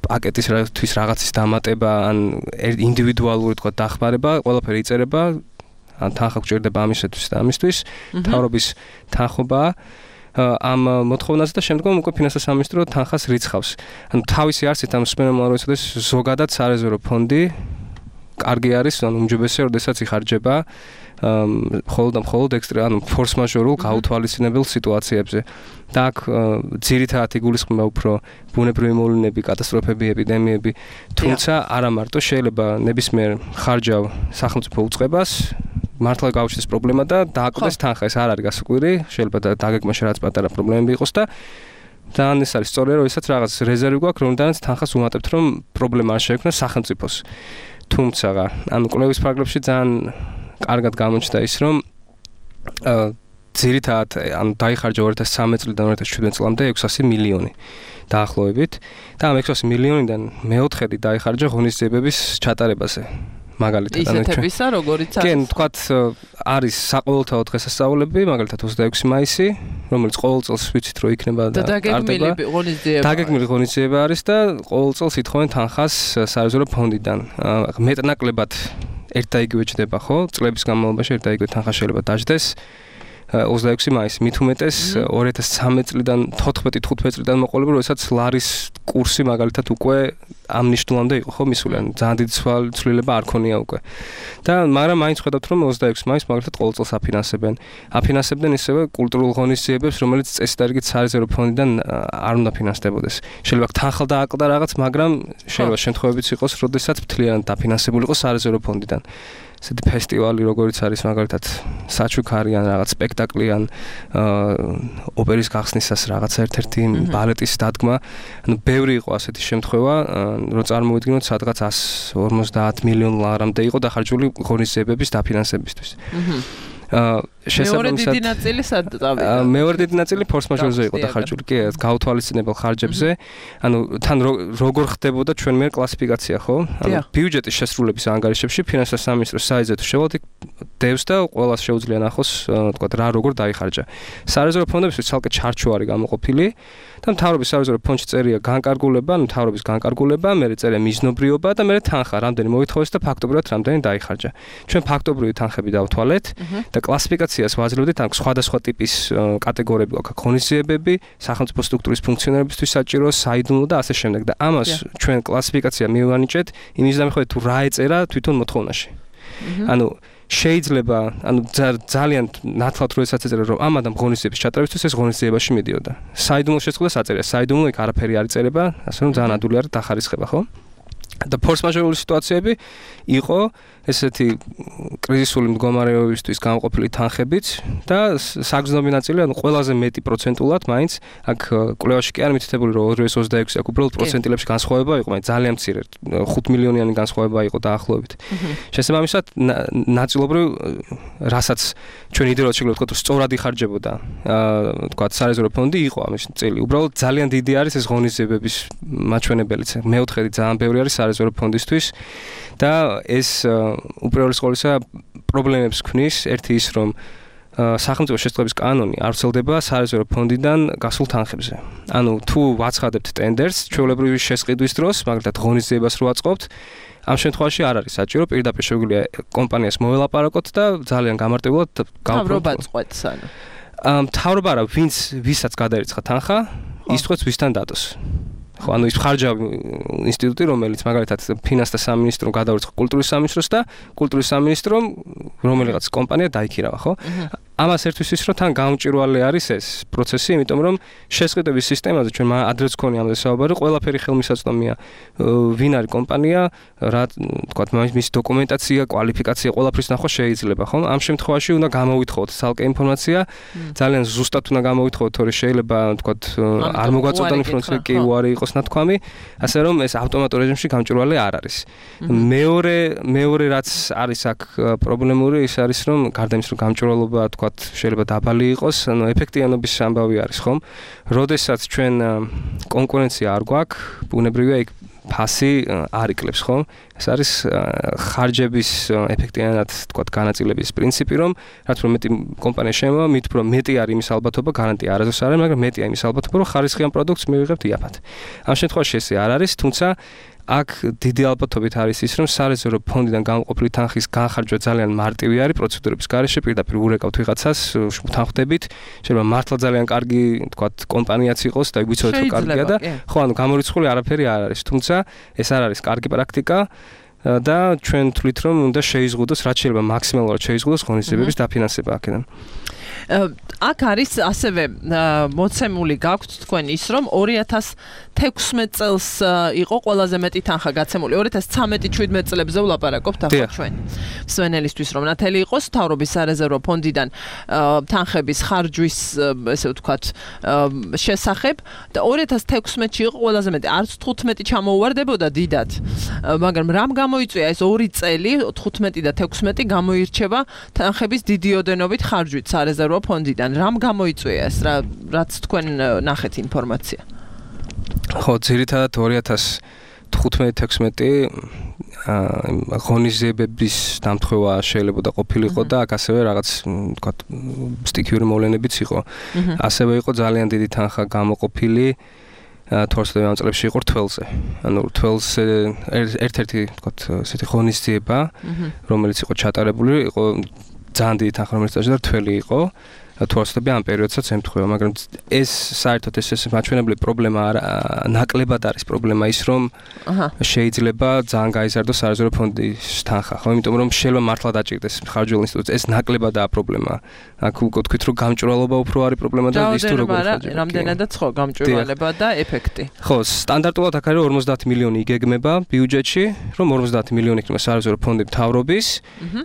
პაკეტის რაღაცის დამატება, ან ინდივიდუალური, თქვათ, დახმარება, ყველაფერი იწერება, ან თანხა გჭირდება ამისათვის და ამისთვის, მთავრობის თანხობა ამ მოთხოვნაზე და შემდგომ უკვე ფინანსთა სამინისტრო თანხას რიცხავს. ანუ თავისი არსით ამ სპენომალ როდესაც ზოგადად სარეზერვო ფონდი კარგი არის, ანუ უმჯობესია, როდესაც იხარჯება მხოლოდ ანუ ფორს-მაჟორულ გაუთვალისწინებელ სიტუაციებზე. და აქ ძირითადად იგულისხმება უფრო ბუნებრივი მოვლენები, კატასტროფები, ეპიდემიები, თუმცა არა მარტო შეიძლება ნებისმიერ ხარჯავ სახელმწიფო უწყებას მართლა გაუჩნდეს პრობლემა და დააკვდეს თანხა. ეს არ არის გასაკვირი, შეიძლება დაგეგმაში რაც პატარა პრობლემები იყოს და ძალიან ეს არის სწორია, როდესაც რაღაც რეზერვი გვაქვს, რომელთანაც თანხას ვუმატებთ, რომ პრობლემა არ შეექმნას სახელმწიფოს. თუმცა, ანუ კვლევის ფარგლებში ძალიან კარგად გამოჩნდა ის, რომ ძირითადად ანუ დაიხარჯა 2013 წლიდან 2017 წლამდე 600 მილიონი დაახლოებით და ამ 600 მილიონიდან მეოთხედი დაიხარჯა ღონისძიებების ჩატარებაზე. მაგალითად, ისეთებისა, როგორიც არის. კი, თქვათ, არის საყოველთაო დღესასწაულები, მაგალითად 26 მაისი, რომელიც ყოველ წელს ვიცით, რომ იქნება და დაგეგმილი ღონისძიება. დაგეგმილი ღონისძიება არის და ყოველ წელს ითხოვენ თანხას სარეზერვო ფონდიდან. მეტნაკლებად ერთ და იგივე ჩდება, ხო? წლების განმავლობაში ერთ და იგივე თანხა შეიძლება დაждდეს. 26 მაისი, მით უმეტეს 2013 წლიდან 14-15 წლიდან მოყოლებული, როდესაც ლარის კურსი მაგალითად უკვე ამ ნიშნულამდე იყო, ხო, მისული, ან ძალიან დიდი ცვლილება არ ქონია უკვე. და მაგრამ მაინც ხედავთ, რომ 26 მაისს მაგალითად ყოველ წელს აფინანსებდნენ ისევე კულტურულ ღონისძიებებს, რომელიც წესდარიგით სარეზერვო ფონდიდან არ უნდა ფინანსდებოდეს. შეიძლება თანხა დააკლდა რაღაც, მაგრამ შეიძლება შემთხვევებიც იყოს, როდესაც მთლიანად დაფინანსებული იყოს სარეზერვო ფონდიდან. ესეთი ფესტივალი, როგორც არის მაგალითად საჩუქარი ან რაღაც სპექტაკლი ან ოპერის გახსნისას რაღაც ერთ-ერთი ბალეტის დადგმა, ანუ ბევრი იყო ასეთი შემთხვევა, რომ წარმოვიდგინოთ სადღაც 150 მილიონ ლარამდე იყო დახარჯული ღონისძიებების დაფინანსებისთვის. მეორე დიდი ნაწილი სად წავიდა? მეორე დიდი ნაწილი ფორს-მაჟორზე იყო დახარჯული, კი, გაუთვალისწინებელ ხარჯებზე. ანუ თან როგორ ხდებოდა ჩვენ მიერ კლასიფიკაცია, ხო? ანუ ბიუჯეტის შესრულების ანგარიშებში ფინანსთა სამინისტროს საიტზე თუ შევალთ, დევს და ყველას შეუძლია ნახოს, თქვა რა როგორ დაიხარჯა. სარეზერვო ფონდებში ცალკე ჩარჩო არის გამოყოფილი და მთავრობის სარეზერვო ფონდში წერია განკარგულება, ანუ მთავრობის განკარგულება, მერე წერია მიზნობრიობა და მერე თანხა, რამდენი მოითხოვეს და ფაქტობრივად რამდენი დაიხარჯა. ჩვენ ფაქტობრივი თანხები დავთვალეთ და კლასიფიკაციას ვაძლევდით, ან სხვადასხვა ტიპის კატეგორიები აქვს, ღონისძიებები, სახელმწიფო სტრუქტურის ფუნქციონირებისთვის საჭირო, საიდუმლო და ასე შემდეგ და ამას ჩვენ კლასიფიკაცია მივანიჭეთ იმის დამხმარებით თუ რა ეწერა თვითონ მოთხოვნაში. ანუ შეიძლება, ანუ ძალიან ნათლად როდესაც ეწერა, რომ ამ адам ღონისძიების ჩატარებისთვის ეს ღონისძიებაში მიდიოდა. საიდუმლო შეწყდა საწერია, საიდუმლო იქ არაფერი არ იწერება, ასე რომ ძალიან ადვილი არის დახარისხება, ხო? და ფორს-მაჟორული სიტუაციები იყო ესეთი კრიზისული მდგომარეობისთვის გამოყოფილი თანხებიც და საგრძნობი ნაწილი, ანუ ყველაზე მეტი პროცენტულად მაინც აქ კვლევაში კი არ მითითებული, რომ 2026 აქ უბრალოდ პროცენტილებში განსხვავება იყო, მაგრამ ძალიან მცირე 5 მილიონიანი განსხვავება იყო დაახლოებით. შესაბამისად, ნაწილობრივ რასაც ჩვენ იდეალურად შეგვიძლია ვთქვათ, სწორად იხარჯებოდა, ვთქვათ, სარეზერვო ფონდი იყო ამის წილი. უბრალოდ ძალიან დიდი არის ეს ღონისძიებების მაჩვენებელიც. მეოთხედი ძალიან ბევრი არის სარეზერვო ფონდისთვის და ეს უპირველეს ყოვლისა პრობლემებს ქმნის. ერთი ის, რომ სახელმწიფო შესწავლების კანონი არ ვრცელდება სარეზერვო ფონდიდან გასულ თანხებზე. ანუ თუ ვაცხადებთ ტენდერს ჩვეულებრივი შესყიდვის დროს, მაგალითად ღონისძიებას რო აწყობთ, ამ შემთხვევაში არ არის საჭირო, პირდაპირ შეგვიძლია კომპანიას მოველაპარაკოთ და ძალიან გამარტივულად გავფრთხილოთ. მთავრობა წყვეტს ანუ. მთავრობა რა, ვისაც გადაირიცხა თანხა, ის წყვეტს ვისთან დატოს. ხო, ანუ ის ხარჯავი ინსტიტუტი, რომელიც მაგალითად ფინანსთა სამინისტრომ გადაურიცხა კულტურის სამინისტროს და კულტურის სამინისტრომ რომელიღაც კომპანია დაიქირავა, ხო? ამას ერთვის ის, რომ თან გამჭვირვალე არის ეს პროცესი, იმიტომ რომ შესყიდვების სისტემაზე ჩვენ ადრეც გქონია ამაზე საუბარი, ყველაფერი ხელმისაწვდომია. ვინ არის კომპანია, რა თქვათ, მისი დოკუმენტაცია, კვალიფიკაცია, ყველაფრის ნახვა შეიძლება, ხო? ამ შემთხვევაში უნდა გამოვითხოვოთ ცალკე ინფორმაცია, ძალიან ზუსტად უნდა გამოვითხოვოთ, თორე შეიძლება, თქვათ, არ მოგვაწოდა ინფორმაცია, კი უარი იყოს ნათქვამი, ასე რომ ეს ავტომატურ რეჟიმში გამჭვირვალე არ არის. მეორე რაც არის აქ პრობლემური, ის არის, რომ გარდა იმის, რომ გამჭვირვალობა, თქვათ, შეიძლება დაბალი იყოს, ანუ ეფექტიანობის ამბავი არის, ხომ? როდესაც ჩვენ კონკურენცია არ გვაქვს, ბუნებრივია იქ ფასი არ იკლებს, ხო? ეს არის ხარჯების ეფექტიანად, თქვათ, განაწილების პრინციპი, რომ რაც უფრო მეტი კომპანია შემოვა, მით უფრო მეტი არის იმის ალბათობა, გარანტია არასდროს არ არის, მაგრამ მეტია იმის ალბათობა, რომ ხარისხიან პროდუქტს მივიღებთ იაფად. ამ შემთხვევაში ესე არ არის, თუმცა აქ დიდი ალბათობით არის ის, რომ სარეზერვო ფონდიდან გამოყოფილი თანხის განხარჯვა ძალიან მარტივი არის პროცედურების გარეშე, პირდაპირ ურეკავთ ვიღაცას, თანხდებით, შეიძლება მართლა ძალიან კარგი, თქვათ, კომპანიაც იყოს და ვიცოდეთ რომ კარგია და ხო, ანუ გამორიცხული არაფერი არ არის, თუმცა ეს არ არის კარგი პრაქტიკა და ჩვენ თვლით რომ უნდა შეიზღუდოს, რაც შეიძლება მაქსიმალურად შეიზღუდოს ღონისძიებების დაფინანსება აქედან. აქ არის ასევე მოცემული გაქვთ თქვენ ის რომ 2016 წელს იყო ყველაზე მეტი თანხა გაცემული 2013-17 წლებზე ვლაპარაკობთ ახლა ჩვენ მსვენელისთვის რომ ნათელი იყოს მთავრობის სარეზერვო ფონდიდან თანხების ხარჯვის ესე ვთქვათ შესახებ და 2016-ში იყო ყველაზე მეტი არც 15 ჩამოუვარდებოდა დიდად მაგრამ რამ გამოიწვია ეს 2 წელი 15 და 16 გამოირჩევა თანხების დიდი ოდენობით ხარჯვით სარეზერვო ფონდიდან რამ გამოიწვია ეს რაც თქვენ ნახეთ ინფორმაცია ხო ძირითადად 2015-16 ღონისძიებების დამთხევა შეიძლება და ყოფილიყო და აქ ასევე რაღაც ვთქვათ სტიქიური მოვლენებიც იყო ასევე იყო ძალიან დიდი თანხა გამოყოფილი თორსდები ამ წლებში იყო რთველზე ანუ რთველზე ერთ-ერთი ვთქვათ ესეთი ღონისძიება რომელიც იყო ჩატარებული იყო ძალიან დიდი თანხა რომელიც დაჭდა რთველი იყო თორსდები ამ პერიოდსაც ემთხვევა მაგრამ ეს საერთოდ ეს მაჩვენებელი პრობლემა არა ნაკლებად არის პრობლემა ის რომ შეიძლება ძალიან გაიზარდოს სარეზერვო ფონდის თანხა ხო იმიტომ რომ შეიძლება მართლა დაჭირდეს ხარჯველ ინსტიტუტს ეს ნაკლებადაა პრობლემა აქ უკვე თქვით რომ გამჭვირვალობა უფრო არის პრობლემა და ის თუ როგორ რამდენადაც ხო გამჭვირვალება და ეფექტი ხო სტანდარტულად აქ არის 50 მილიონი იგეგმება ბიუჯეტში რომ 50 მილიონი იქნება სარეზერვო ფონდი მთავრობის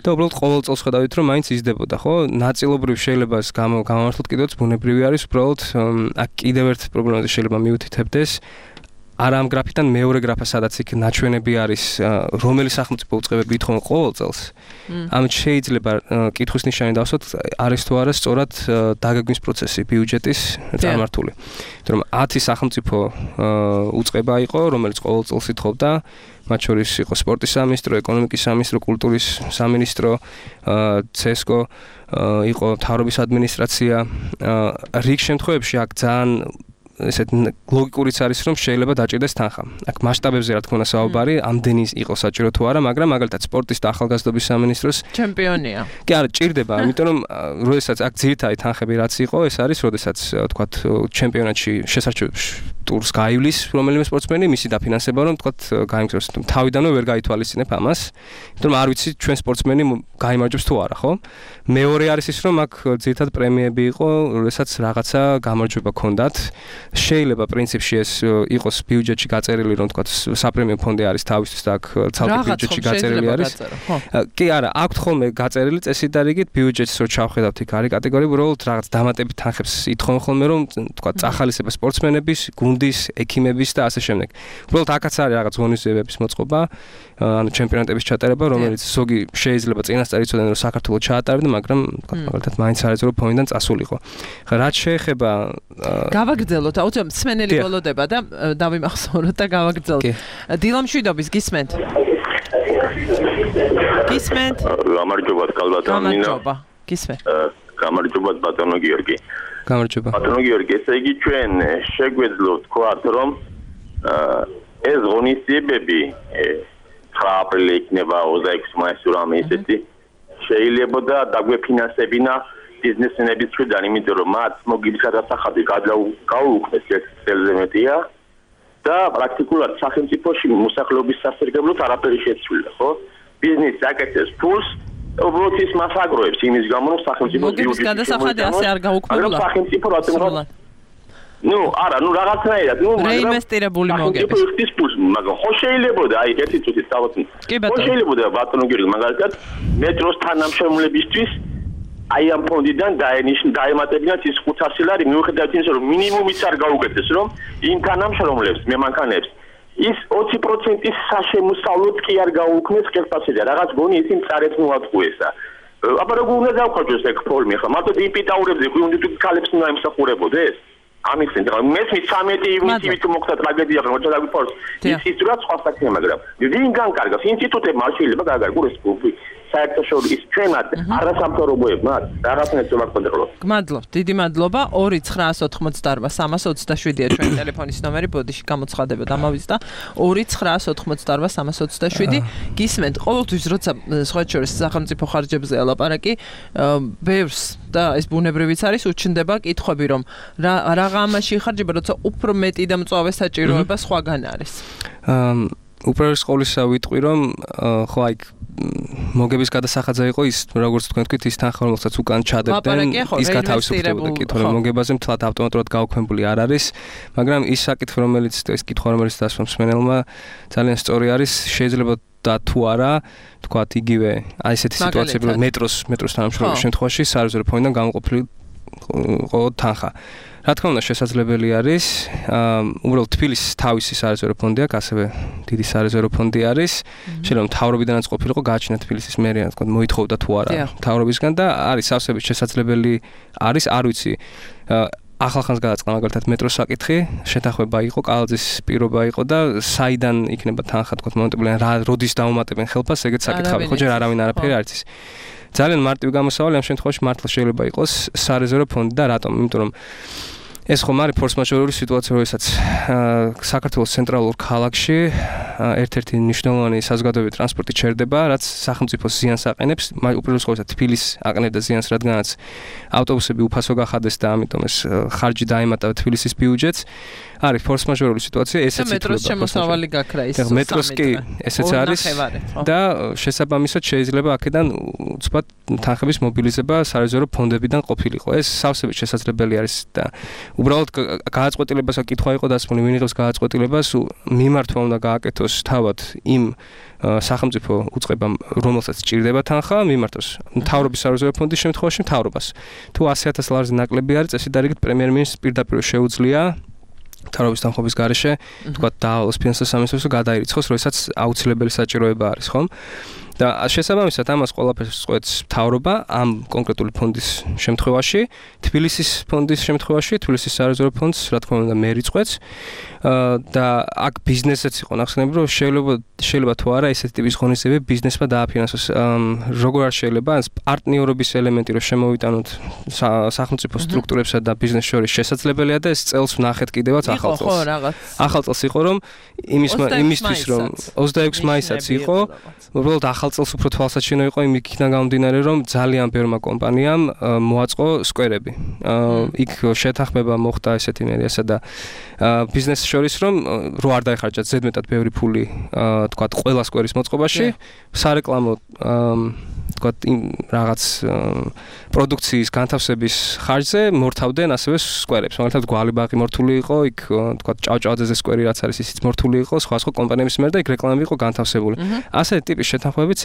და უბრალოდ ყოველ წელს ხედავით რომ მაინც იზრდებოდა ხო ნაწილობრივ შეიძლება გამართლოთ კიდევაც ბუნებრივი არის უბრალოდ აქ კიდევ ერთ პრობლემაზე შეიძლება მიუთითებდეს არა ამ გრაფიდან მეორე გრაფა სადაც იქ ნაჩვენები არის რომელი სახელმწიფო უწყებები ითხოვენ ყოველ წელს ამით შეიძლება კითხვის ნიშანი დავსვათ არის თუ არა სწორად დაგეგმვის პროცესი ბიუჯეტის წარმართული იმიტომ რომ 10 სახელმწიფო უწყება იყო რომელიც ყოველ წელს ითხოვდა მათ შორის იყო სპორტის სამინისტრო, ეკონომიკის სამინისტრო, კულტურის სამინისტრო, CESCO, იყო მთავრობის ადმინისტრაცია. რიგ შემთხვევებში აქ ძალიან ესეთ ლოგიკურიც არის რომ შეიძლება დაჭირდეს თანხა. აქ მასშტაბებზე რა თქმა უნდა საუბარი, ამდენი იყო საჭირო თუ არა, მაგრამ მაგალითად სპორტის და ახალგაზრდობის სამინისტროს ჩემპიონია. კი არა, ჭირდება, იმიტომ რომ როდესაც აქ ძირითადი თანხები რაც იყო, ეს არის როდესაც თქვათ ჩემპიონატში შესარჩევ ტურს გაივლის რომელიმე სპორტსმენი, მისი დაფინანსება რომ თქვათ გაიმგზავროს. თავიდანვე ვერ გაითვალისწინებ ამას, იმიტომ რომ არ ვიცი ჩვენ სპორტსმენი გაიმარჯვებს თუ არა, ხო? მეორე არის ის რომ აქ ძირითადად პრემიები იყო, როდესაც რაღაცა გამარჯვება ჰქონდათ. შეიძლება პრინციპში ეს იყოს ბიუჯეტში გაწერილი რომ თქვა საპრემიო ფონდი არის თავისთვის და აქ ცალკე ბიუჯეტში გაწერილი არის. კი არა, აქვთ ხოლმე გაწერილი წესით და რიგით ბიუჯეტს რო ჩავხედავთ იქ არის კატეგორია უბრალოდ რაღაც დამატებით თანხებს ითხოვენ ხოლმე რომ თქვა წახალისება სპორტსმენების, გუნდის, ექიმების და ასე შემდეგ. უბრალოდ აქაც არის რაღაც ღონისძიებების მოწყობა, ანუ ჩემპიონატების ჩატარება, რომელიც ზოგი შეიძლება წინასწარ იცოდნენ რომ საქართველოს ჩაატარებდა, მაგრამ თქვა მაგალითად მაინც სარეზერვო ფონდიდან წასულიყო. რაც შეეხება გავაგრძელოთ აუცილებლად მსმენელი გოლოდება და დავიმახსოვროთ და გავაგრძელოთ. დილამშვიდობის გისმენთ? გისმენთ? გამარჯობა კალბატონო ნინო. გამარჯობა. გისმენთ. გამარჯობა ბატონო გიორგი. გამარჯობა. ბატონო გიორგი, ესე იგი ჩვენ შეგვეძლო თქვათ რომ ეს ღონისძიებები 9 აპრილი იქნება 26 მაისს რამე ისეთი შეიძლება და დაგვეფინანსებინა ბიზნესმენების მხრიდან, იმიტომ რომ მათ მოგიბის გადასახადი გაუუქმეს ერთ წელზე მეტია და პრაქტიკულად სახელმწიფოში მოსახლეობის სასარგებლოდ არაფერი შეცვლილა, ხო? ბიზნესი აკეთებს ფულს, უბრალოდ ის მას აგროვებს იმის გამო, რომ სახელმწიფო მოგიბის გადასახადი ასე არ გაუქმებულა. სახელმწიფო რატომ ნუ არა, ნუ რაღაცნაირად, ნუ რეინვესტირებული მოგების. ის ფულს, მაგრამ ხო შეიძლება აი ერთი წუთით დავოთ. ხო შეიძლება ბატონო გიორგი, მაგალითად მეტროს თანამშრომლებისთვის აი ამ ფონდიდან დაემატებინათ ის 500 ლარი მიუხედავად იმისა რომ მინიმუმიც არ გაუკეთეს რომ იმ თანამშრომლებს მემანქანებს ის 20%-ის საშემოსავლოდ კი არ გაუქმეს ხელფასზე რაღაც გონი ისინი წარეთ მოაწყვესა აბა როგორ უნდა დავხარჯოს ეგ ფორმი ხა მარტო დიპიტაურებზე უნდა თუ ქალებს უნდა იმსახურებოდეს ამის ცენტრალ მესმის 13 ივნისში თუ მოხდა ტრაგედია რომ დაგვიფორს ის რა სხვა საქმეა მაგრამ ვინ განკარგავს ინსტიტუტებმა შეიძლება გააგარგოს საერთაშორისო ჩვენად არასამთავრობოებმაც რაღაცნაირად ზოგადად. გმადლობ, დიდი მადლობა. 2988327-ია ჩვენი ტელეფონის ნომერი, ბოდიში გამოცხადებოდ ამავით და 2988327 გისმენთ. ყოველთვის როცა სხვა შორის სახელმწიფო ხარჯებზე ელაპარაკი, ბევრს და ეს ბუნებრივიც არის, უჩნდება კითხვები, რომ რაღა ამაში იხარჯება, როცა უფრო მეტი და მწვავე საჭიროება სხვაგან არის. უპირველეს ყოვლისა ვიტყვი, რომ ხო აი მოგების გადასახაძე იყო ის, როგორც თქვენ თქვით, ის თანხა რომელსაც უკან ჩადებდნენ, ის გათავისუფლებოდა კითხვა, რომ მოგებაზე მთლად ავტომატურად გაუქმებული არ არის, მაგრამ ის საკითხი, რომელიც ეს კითხვა, რომელიც დასვა მსმენელმა, ძალიან სწორი არის, შეიძლება და თუ არა, თქვათ იგივე აი ესეთი სიტუაციები, რომ მეტროს თანამშრომლობის შემთხვევაში სარეზერვო ფონდიდან გამოყოფილი იყო თანხა. რა თქმა უნდა, შესაძლებელი არის, უბრალოდ თბილისის თავისი სარეზერვო ფონდი აქვს, ასევე დიდი სარეზერვო ფონდი არის. შეიძლება მთავრობიდანაც ყოფილიყო, გააჩინა თბილისის მერია, თქვათ, მოითხოვდა თუ არა მთავრობისგან და არის სავსებით შესაძლებელი არის, არ ვიცი. ახალხანს გადაწყდა მაგალითად მეტროს საკითხი, შეთანხმება იყო, კალაძის პირობა იყო და საიდან იქნება თანხა, თქვათ, მომენტებიდან როდის დაუმატებენ ხელფასს, ეგეც საკითხავი, ხო, ჯერ არავინ არაფერი არ იცის. ძალიან მარტივი გამოსავალი ამ შემთხვევაში მართლა შეიძლება იყოს სარეზერვო ფონდი და რატომ? იმიტომ რომ ეს ხომ არის ფორს-მაჟორული სიტუაცია, როდესაც საქართველოს ცენტრალურ ქალაქში ერთ-ერთი მნიშვნელოვანი საზოგადოებრივი ტრანსპორტი ჩერდება, რაც სახელმწიფოს ზიანს აყენებს, უპირველეს ყოვლისა თბილისს აყენებდა ზიანს, რადგანაც ავტობუსები უფასო გახადეს და ამიტომ ეს ხარჯი დაემატა თბილისის ბიუჯეტს. არის ფორს-მაჟორული სიტუაცია, ესეც ითვლება. მეტროს შემოსავალი გაქრა ის. მეტროს კი ესეც არის და შესაბამისად შეიძლება აქედან უცბად თანხების მობილიზება სარეზერვო ფონდებიდან ყოფილიყო. ეს სავსებით შესაძლებელი არის და უბრალოდ გააწყვეტილებას კითხვა იყო დასმული, ვინ იღებს გააწყვეტილებას, მიმართვა უნდა გააკეთოს თავად იმ სახელმწიფო უწყებამ, რომელსაც სჭირდება თანხა, მიმართოს მთავრობის სარეზერვო ფონდის შემთხვევაში მთავრობას. თუ 100,000 ლარზე ნაკლები არის, წესი დარიგით პრემიერ-მინისტრს პირდაპირ შეუძლია მთავრობის თანხმობის გარეშე, თქვათ, დაავალოს ფინანსთა სამინისტროს გადაირიცხოს, როდესაც აუცილებელი საჭიროება არის, ხომ? და შესაბამისად ამას ყველაფერს წყვეტს მთავრობა ამ კონკრეტული ფონდის შემთხვევაში, თბილისის ფონდის შემთხვევაში, თბილისის სარეზერვო ფონდს, რა თქმა უნდა, მე რიცხვეთს და აქ ბიზნესიც იყო ნახსენები, რომ შეიძლება თუ არა ესეთი ტიპის ღონისძიებები ბიზნესმა დააფინანსოს. როგორ არ შეიძლება პარტნიორობის ელემენტი რომ შემოვიტანოთ სახელმწიფო სტრუქტურებსა და ბიზნეს შორის შესაძლებელია და ეს წელს ვნახეთ კიდევაც ახალ წელს. ახალ წელს იყო რომ იმისთვის რომ 26 მაისსაც იყო, უბრალოდ ახალ წელს უფრო თვალსაჩინო იყო იმიქიდან გამომდინარე რომ ძალიან ბევრმა კომპანიამ მოაწყო სკვერები. იქ შეთანხმება მოხდა ესეთი მერიასა და ბიზნესს შორის რომ რო არ დაეხარჯათ ზედმეტად ბევრი ფული თქვათ ყველა სკვერის მოწყობაში, სარეკლამო თქვათ რაღაც პროდუქციის განთავსების ხარჯზე მორთავდნენ ასევე სკვერებს. მაგალითად გვალიბაღი მორთული იყო, იქ თქვათ ჭავჭავაძეზე სკვერი რაც არის ისიც მორთული იყო, სხვა კომპანიების მიერ და იქ რეკლამები იყო განთავსებული. ასეთი ტიპის შეთანხმებიც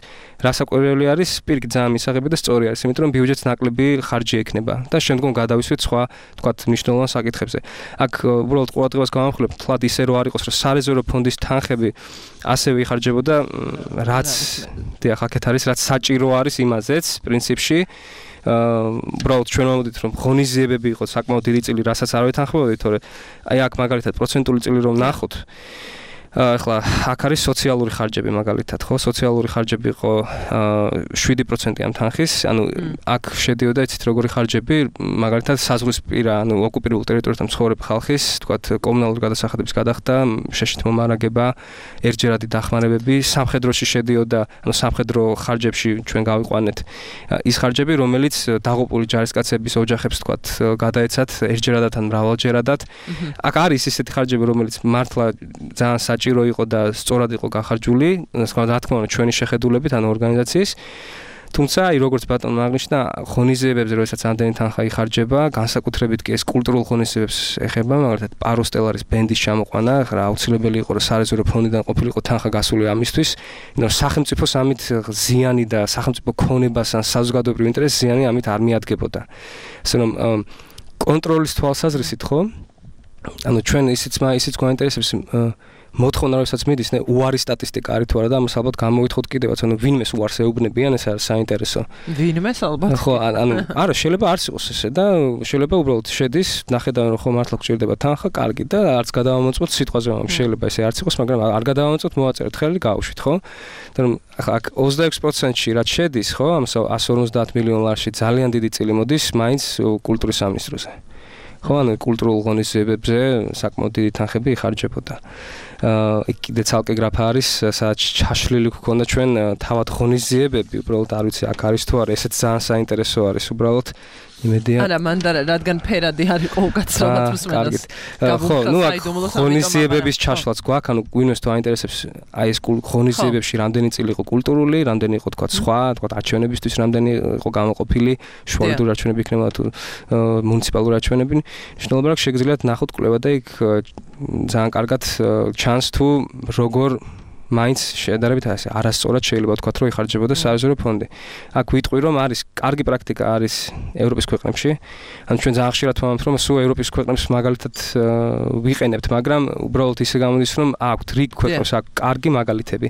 რასაკვირველი არის, პირიქით ძალიან მისაღები და სწორი არის, იმიტომ რომ ბიუჯეტს ნაკლები ხარჯი ექნება და შემდგომ გადავისვით სხვა თქვათ მნიშვნელოვან საკითხებზე. აქ უბრალოდ ყურადღებას გავამხვილებ, თლად ისე რო არ იყოს, რომ სარეზერვო ფონდის თანხები ასევე იხარჯებოდა, რაც დიახ, აქეთ არის, რაც საჭირო არის იმაზეც პრინციპში. უბრალოდ ჩვენ ვამოდით რომ ღონისძიებები იყო საკმაოდ დიდი წილი, რასაც არ ვეთანხმებოდით, თორე აი აქ მაგალითად პროცენტული წილი რომ ნახოთ, ახლა აქ არის სოციალური ხარჯები მაგალითად, ხო? სოციალური ხარჯები იყო 7% ამ თანხის, ანუ აქ შედიოდა იცით როგორი ხარჯები, მაგალითად საზღვრისპირა, ანუ ოკუპირებულ ტერიტორიებთან მცხოვრებ ხალხის, თქვათ, კომუნალური გადასახადების გადახდა, შეშით მომარაგება, ერთჯერადი დახმარებები, სამხედროში შედიოდა, ანუ სამხედრო ხარჯებში ჩვენ გავიყვანეთ ის ხარჯები, რომელიც დაღუპული ჯარისკაცების ოჯახებს, თქვათ, გადაეცათ ერთჯერადად ან მრავალჯერადად. აქ არის ისეთი ხარჯები, რომელიც მართლა ძალიან საჭირო იყო და სწორად იყო გახარჯული, რა თქმა უნდა, ჩვენი შეხედულებით, ანუ ორგანიზაციის. თუმცა, აი როგორც ბატონმა აღნიშნა, ღონისძიებებზე, როდესაც ამდენი თანხა იხარჯება, განსაკუთრებით კი ეს კულტურულ ღონისძიებებს ეხება, მაგალითად, პაროსტელარის ბენდის ჩამოყვანა, რა აუცილებელი იყო, რომ სარეზერვო ფონდიდან ყოფილიყო თანხა გასული ამისთვის, იმიტომ რომ სახელმწიფოს ამით ზიანი და სახელმწიფო ქონებას ან საზოგადოებრივ ინტერესს ზიანი ამით არ მიადგებოდა. ასე რომ კონტროლის თვალსაზრისით, ხო? ანუ ჩვენ ისიც გვაინტერესებს მოთხოვნა როდესაც მიდის უარი სტატისტიკა არის თუ არა და ამას ალბათ გამოვითხოვთ კიდევაც ანუ ვინმეს უარს ეუბნებიან ეს არის საინტერესო ვინმეს ალბათ ხო ანუ არა შეიძლება არც იყოს ესე და შეიძლება უბრალოდ შედის ნახედავენ რომ ხო მართლა გჭირდება თანხა კარგი და არც გადავამოწმოთ სიტყვაზე შეიძლება ესე არც იყოს მაგრამ არ გადავამოწმოთ მოვაწერეთ ხელი გავუშვით ხო და რომ აქ 26%-ში რაც შედის ხო ამ 150 მილიონ ლარში ძალიან დიდი წილი მოდის მაინც კულტურის სამინისტროზე ხო ანუ კულტურულ ღონისძიებებზე საკმაოდ დიდი თანხები იხარჯებოდა იქ კიდე ცალკე გრაფა არის სადაც ჩაშლილი გქონდა ჩვენ თავად ღონისძიებები უბრალოდ არ ვიცი აქ არის თუ არა ესეც ძალიან საინტერესო არის უბრალოდ იმედია არა მანდარა რადგან ფერადი არ იყო უკაცრავად მსმენელს ხო ნუ აქ ღონისძიებების ჩაშლაც გვაქვს ანუ გვინოს თუ აინტერესებს აი ეს ღონისძიებებში რამდენი წილი იყო კულტურული რამდენი იყო თქვა სხვა თქვა არჩევნებისთვის რამდენი იყო გამოყოფილი შუალედური არჩევნები იქნება თუ მუნიციპალური არჩევნები მნიშვნელობა აქვს შეგიძლიათ ნახოთ კვლევა და იქ ძალიან კარგად ჩანს თუ როგორ მაინც შედარებით ასე არასწორად შეიძლება ვთქვათ რომ იხარჯებოდა სარეზერვო ფონდი. აქ ვიტყვი რომ არის კარგი პრაქტიკა არის ევროპის ქვეყნებში. ანუ ჩვენ ძალიან ხშირად ვამბობთ რომ სულ ევროპის ქვეყნებს მაგალითად ვიყენებთ, მაგრამ უბრალოდ ისე გამოდის რომ აქვთ რიგ ქვეყნებს აქვს კარგი მაგალითები.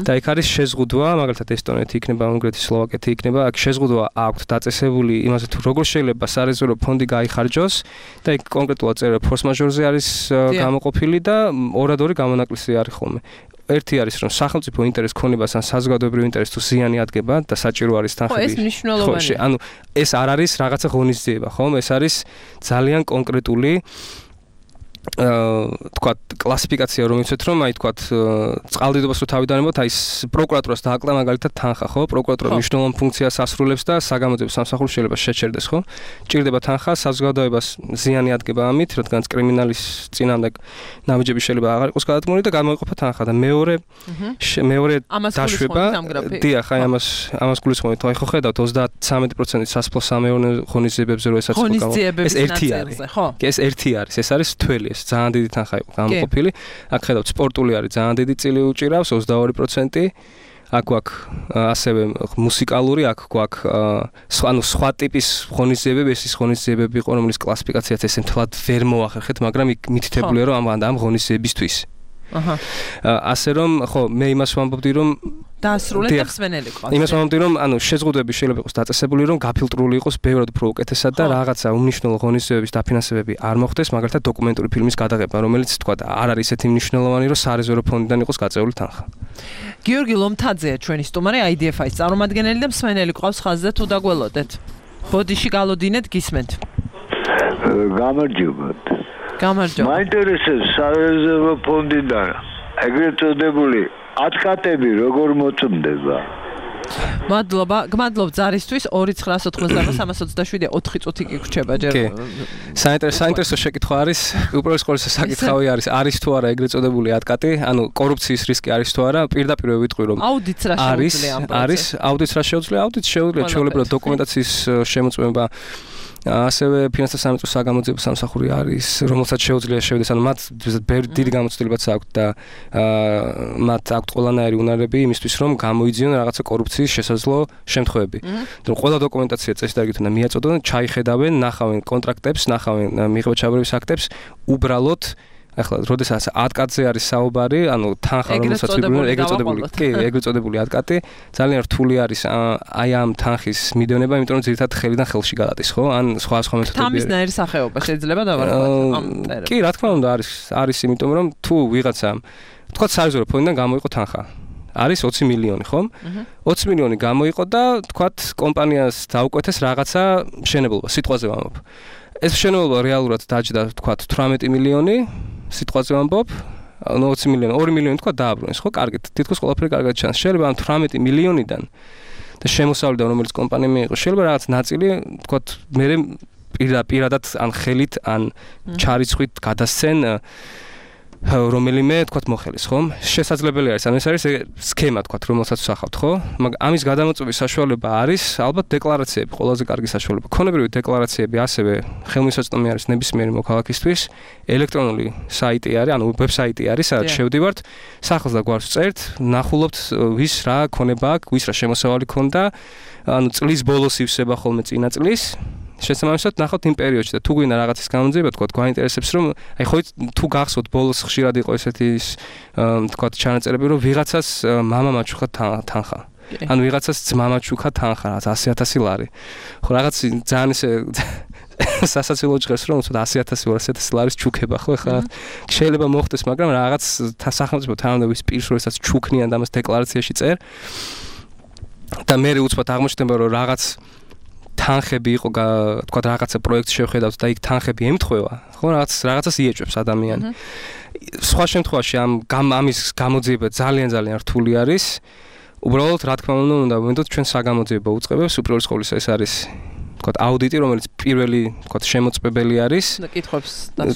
და იქ არის შეზღუდვა, მაგალითად ესტონეთი იქნება, უნგრეთი, სლოვაკეთი იქნება, აქ შეზღუდვა აქვს დაწესებული იმაზე თუ როგორ შეიძლება სარეზერვო ფონდი გაიხარჯოს და იქ კონკრეტულად წერა ფორს მაჟორზე არის გამოყოფილი და ორადორი გამონაკლისი არის ხოლმე. ერთი არის რომ სახელმწიფო ინტერესს ქონებას ან საზოგადოებრივ ინტერესს თუ ზიანი ადგება და საჭირო არის თანხები. ხო, ეს მნიშვნელოვანია. ანუ ეს არ არის რაღაცა ღონისძიება, ხო? ეს არის ძალიან კონკრეტული თქვათ კლასიფიკაცია რომ იცით რომ აი თქვათ წყალდიდობას რო თავიდანებოთ აი პროკურატურას დააკლა მაგალითად თანხა ხო პროკურატურა მნიშვნელოვან ფუნქციას ასრულებს და საგამოძიებო სამსახური შეიძლება შეჩერდეს ხო ჭირდება თანხა საზოგადოებას ზიანი ადგება ამით რადგან კრიმინალის წინამდე ნაბიჯები შეიძლება აღარ იყოს გადადგმული და გამოიყოფა თანხა და მეორე დაშვება დიახ აი ამას გულისხმობთ აი ხო ხედავთ 33% სასოფლო სამეურნეო ღონისძიებებზე რო ესაც ეს ერთი არის ხო ეს ერთი არის ეს არის თველი ძალიან დიდი თანხა იყო გამოყოფილი. აქ ხედავთ სპორტული არის ძალიან დიდი წილი უჭირავს 22%. აქ გვაქვს ასევე მუსიკალური, აქ გვაქვს ანუ სხვა ტიპის ღონისძიებები, ეს ის ღონისძიებები იყო, რომლის კლასიფიკაციაც ესე მთლად ვერ მოახერხეთ, მაგრამ იქ მითითებულია რომ ამ ღონისძიებისთვის. აჰა. ასე რომ ხო მე იმას ვამბობდი რომ დაასრულეთ და მსმენელი ყავს. იმას ვამბობდი რომ ანუ შეზღუდვები შეიძლება იყოს დაწესებული რომ გაფილტრული იყოს ბევრად უფრო უკეთესად და რაღაცა უმნიშვნელო ღონისძიებების დაფინანსებები არ მოხდეს, მაგალითად დოკუმენტური ფილმის გადაღება, რომელიც თქვა არ არის ესეთი მნიშვნელოვანი რომ სარეზერვო ფონდიდან იყოს გაწეული თანხა. გიორგი ლომთაძეა ჩვენი სტუმარი IDFI-ს წარმომადგენელი და მსმენელი ყავს ხაზზე თუ დაგველოდეთ. ბოდიში გალოდინეთ გისმენთ. გამარჯობათ. გამარჯობა. მაინტერესებს სარეზერვო ფონდიდან ეგრეთ წოდებული ატკატები როგორ მოწმდება? მადლობა, გმადლობ ზარისთვის 2988327 4 წუთი გიგვჭება ჯერ. საინტერესო შეკითხვა არის, უპირველეს ყოვლისა საკითხავი არის თუ არა ეგრეთ წოდებული ატკატი, ანუ კორუფციის რისკი არის თუ არა, პირდაპირ ვიტყვი რომ აუდიტს რა შეუძლია ამ პროცესს. არის აუდიტს რა შეუძლია? აუდიტს შეუძლია ჩვეულებრივად დოკუმენტაციის შემოწმება ასევე ფინანსთა სამინისტროს საგამოძიებო სამსახური არის, რომელსაც შეუძლია შევიდეს, ანუ მათ დიდი გამოცდილებაც აქვთ და მათ აქვთ ყველანაირი უნარები იმისთვის, რომ გამოიძიონ რაღაცა კორუფციის შესაძლო შემთხვევები. რომ ყველა დოკუმენტაცია წესდარგით უნდა მიაწოდონ, ჩაიხედავენ, ნახავენ კონტრაქტებს, ნახავენ მიღება-ჩაბარების აქტებს, უბრალოდ ახლა როდესაც ატკატზე არის საუბარი, ანუ თანხა რომელსაც ვიბრძოლ, ეგრეთ წოდებული ატკატი, ძალიან რთული არის აი ამ თანხის მიდევნება, იმიტომ რომ ძირითადად ხელიდან ხელში გადადის, ხო? ან სხვა მეთოდები. თამისნაირი სახეობა შეიძლება დავარქვათ ამ წერას. კი, რა თქმა უნდა, არის იმიტომ რომ თუ ვიღაცა თქვა სარეზერვო ფონდიდან გამოიყო თანხა. არის 20 მილიონი, ხომ? 20 მილიონი გამოიყო და თქვა კომპანიას დაუკვეთეს რაღაცა მშენებლობა, სიტყვაზე ვამბობ. ეს მშენებლობა რეალურად დაჯდა თქვა 18 მილიონი სიტყვაზე ვამბობ, 20 მილიონი, 2 მილიონი თქვა დააბრუნეს, ხო, კარგით. თითქოს ყველაფერი კარგად ჩანს. შეიძლება ამ 18 მილიონიდან და შემოსავლიდან რომელიც კომპანია მიიღო, შეიძლება რაღაც ნაწილი თქვა მე პირადად ან ხელით ან ჩარიცხვით გადასცენ რომელიმე თქვა მოხელის, ხო? შესაძლებელი არის, ანუ ეს არის სქემა თქვა, რომელსაც ვსახავთ, ხო? მაგრამ ამის გადამოწმების საშუალება არის ალბათ დეკლარაციები, ყველაზე კარგი საშუალება. ქონებრივი დეკლარაციები ასევე ხელმისაწვდომი არის ნებისმიერი მოქალაქისთვის. ელექტრონული საიტი არის, ანუ ვებსაიტი არის, სადაც შევდივართ, სახელს და გვარს ვწერთ, ნახულობთ ვის რა ქონება აქვს, ვის რა შემოსავალი ქონდა, ანუ წლის ბოლოს ივსება ხოლმე წინა წლის. შესაბამისად ნახავთ იმ პერიოდში და თუ გვინდა რაღაცის გამოძიება, თქვა, გვაინტერესებს რომ აი ხო თუ გახსოვთ ბოლოს ხშირად იყო ესეთი თქვა ჩანაწერები რომ ვიღაცას მამა მაჩუქა თანხა. ანუ ვიღაცას ძმა მაჩუქა თანხა 100,000 ლარი. ხო რაღაც ძალიან ისე სასაცილო ჭრეს რომ უცოდ 100,000 200,000 ლარის ჩუქება ხო ეხლა შეიძლება მოხდეს მაგრამ რაღაც სახელმწიფო თანამდებობის პირს როდესაც ჩუქნიან და ამას დეკლარაციაში წერ და მე უცბად აღმოჩნდება რომ რაღაც თანხები იყო თქვა რაღაცა პროექტს შევხედავთ და იქ თანხები ემთხვევა ხო რაღაცას იეჭვებს ადამიანი სხვა შემთხვევაში ამის გამოძიება ძალიან რთული არის უბრალოდ რა თქმა უნდა ვინდოთ ჩვენ საგამოძიებო უწყებებს უპირველეს ყოვლისა ეს არის თქვა აუდიტი რომელიც პირველი თქვა შემოწმებელი არის და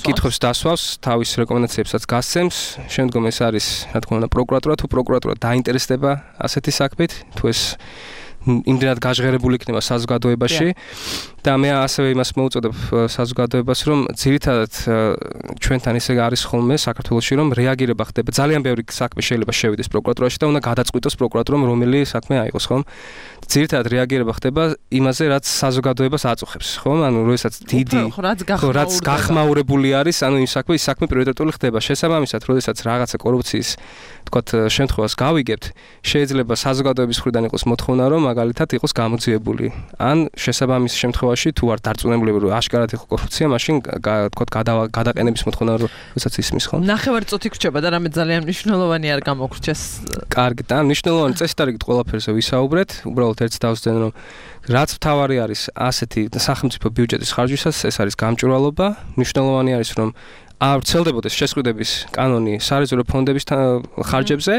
კითხვებს დასვავს თავის რეკომენდაციებსაც გასცემს შემდგომ ეს არის რა თქმა უნდა პროკურატურა თუ პროკურატურა დაინტერესდება ასეთი საქმით თუ ეს იმდენად გაჟღერებული იქნება საზოგადოებაში და მე ასევე იმას მოუწოდებ საზოგადოებას რომ ძირითადად ჩვენთან ისე არის ხოლმე საქართველოში რომ რეაგირება ხდება ძალიან ბევრი საქმე შეიძლება შევიდეს პროკურატურაში და უნდა გადაწყვიტოს პროკურატურამ რომელი საქმე აიღოს ხომ ძირითადად რეაგირება ხდება იმაზე რაც საზოგადოებას აწუხებს ხომ ანუ როდესაც დიდი რაც გახმაურებული არის ანუ იმ საქმე პრიორიტეტული ხდება შესაბამისად როდესაც რაღაცა კორუფციის თქვათ შემთხვევას გავიგებთ შეიძლება საზოგადოების მხრიდან იყოს მოთხოვნა რომ მაგალითად იყოს გამოძიებული ან შესაბამის შემთხვევაში თუ არ დარწმუნებული რომ აშკარად იყო კორუფცია მაშინ თქვათ გადაყენების მოთხოვნა როდესაც ისმის ხო ნახევარწუთი გრჩება და რამე ძალიან მნიშვნელოვანი არ გამოგრჩეს კარგი და მნიშვნელოვანი წესით არ იგეთ ყველაფერზე ვისაუბრეთ უბრალოდ ერთ დავსდენ რომ რაც მთავარი არის ასეთი სახელმწიფო ბიუჯეტის ხარჯვისას ეს არის გამჭვირვალობა მნიშვნელოვანი არის რომ არ ვრცელდებოდეს შესყიდვების კანონი სარეზერვო ფონდების ხარჯებზე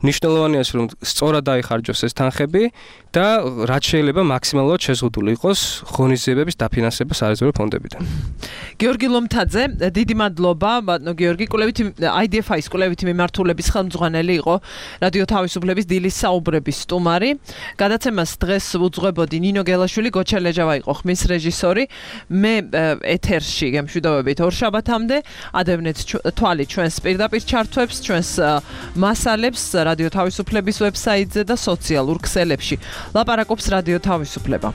მნიშვნელოვანია რომ სწორად დაიხარჯოს ეს თანხები და რაც შეიძლება მაქსიმალურად შეზღუდული იყოს ღონისძიებების დაფინანსება სარეზერვო ფონდებიდან. გიორგი ლომთაძე, დიდი მადლობა, ბატონო გიორგი, კვლევითი IDFI-ის კვლევითი მიმართულების ხელმძღვანელი იყო რადიო თავისუფლების დილის საუბრების სტუმარი. გადაცემას დღეს უძღვებოდი ნინო გელაშვილი, გოჩა ლეჟავა იყო ხმის რეჟისორი. მე ეთერში გემშვიდობებით ორ შაბათამდე ადევნეთ თვალი ჩვენს პირდაპირ ჩართვებს, ჩვენს მასალებს რადიო თავისუფლების ვებსაიტზე და სოციალურ ქსელებში. ლაპარაკობს რადიო თავისუფლება.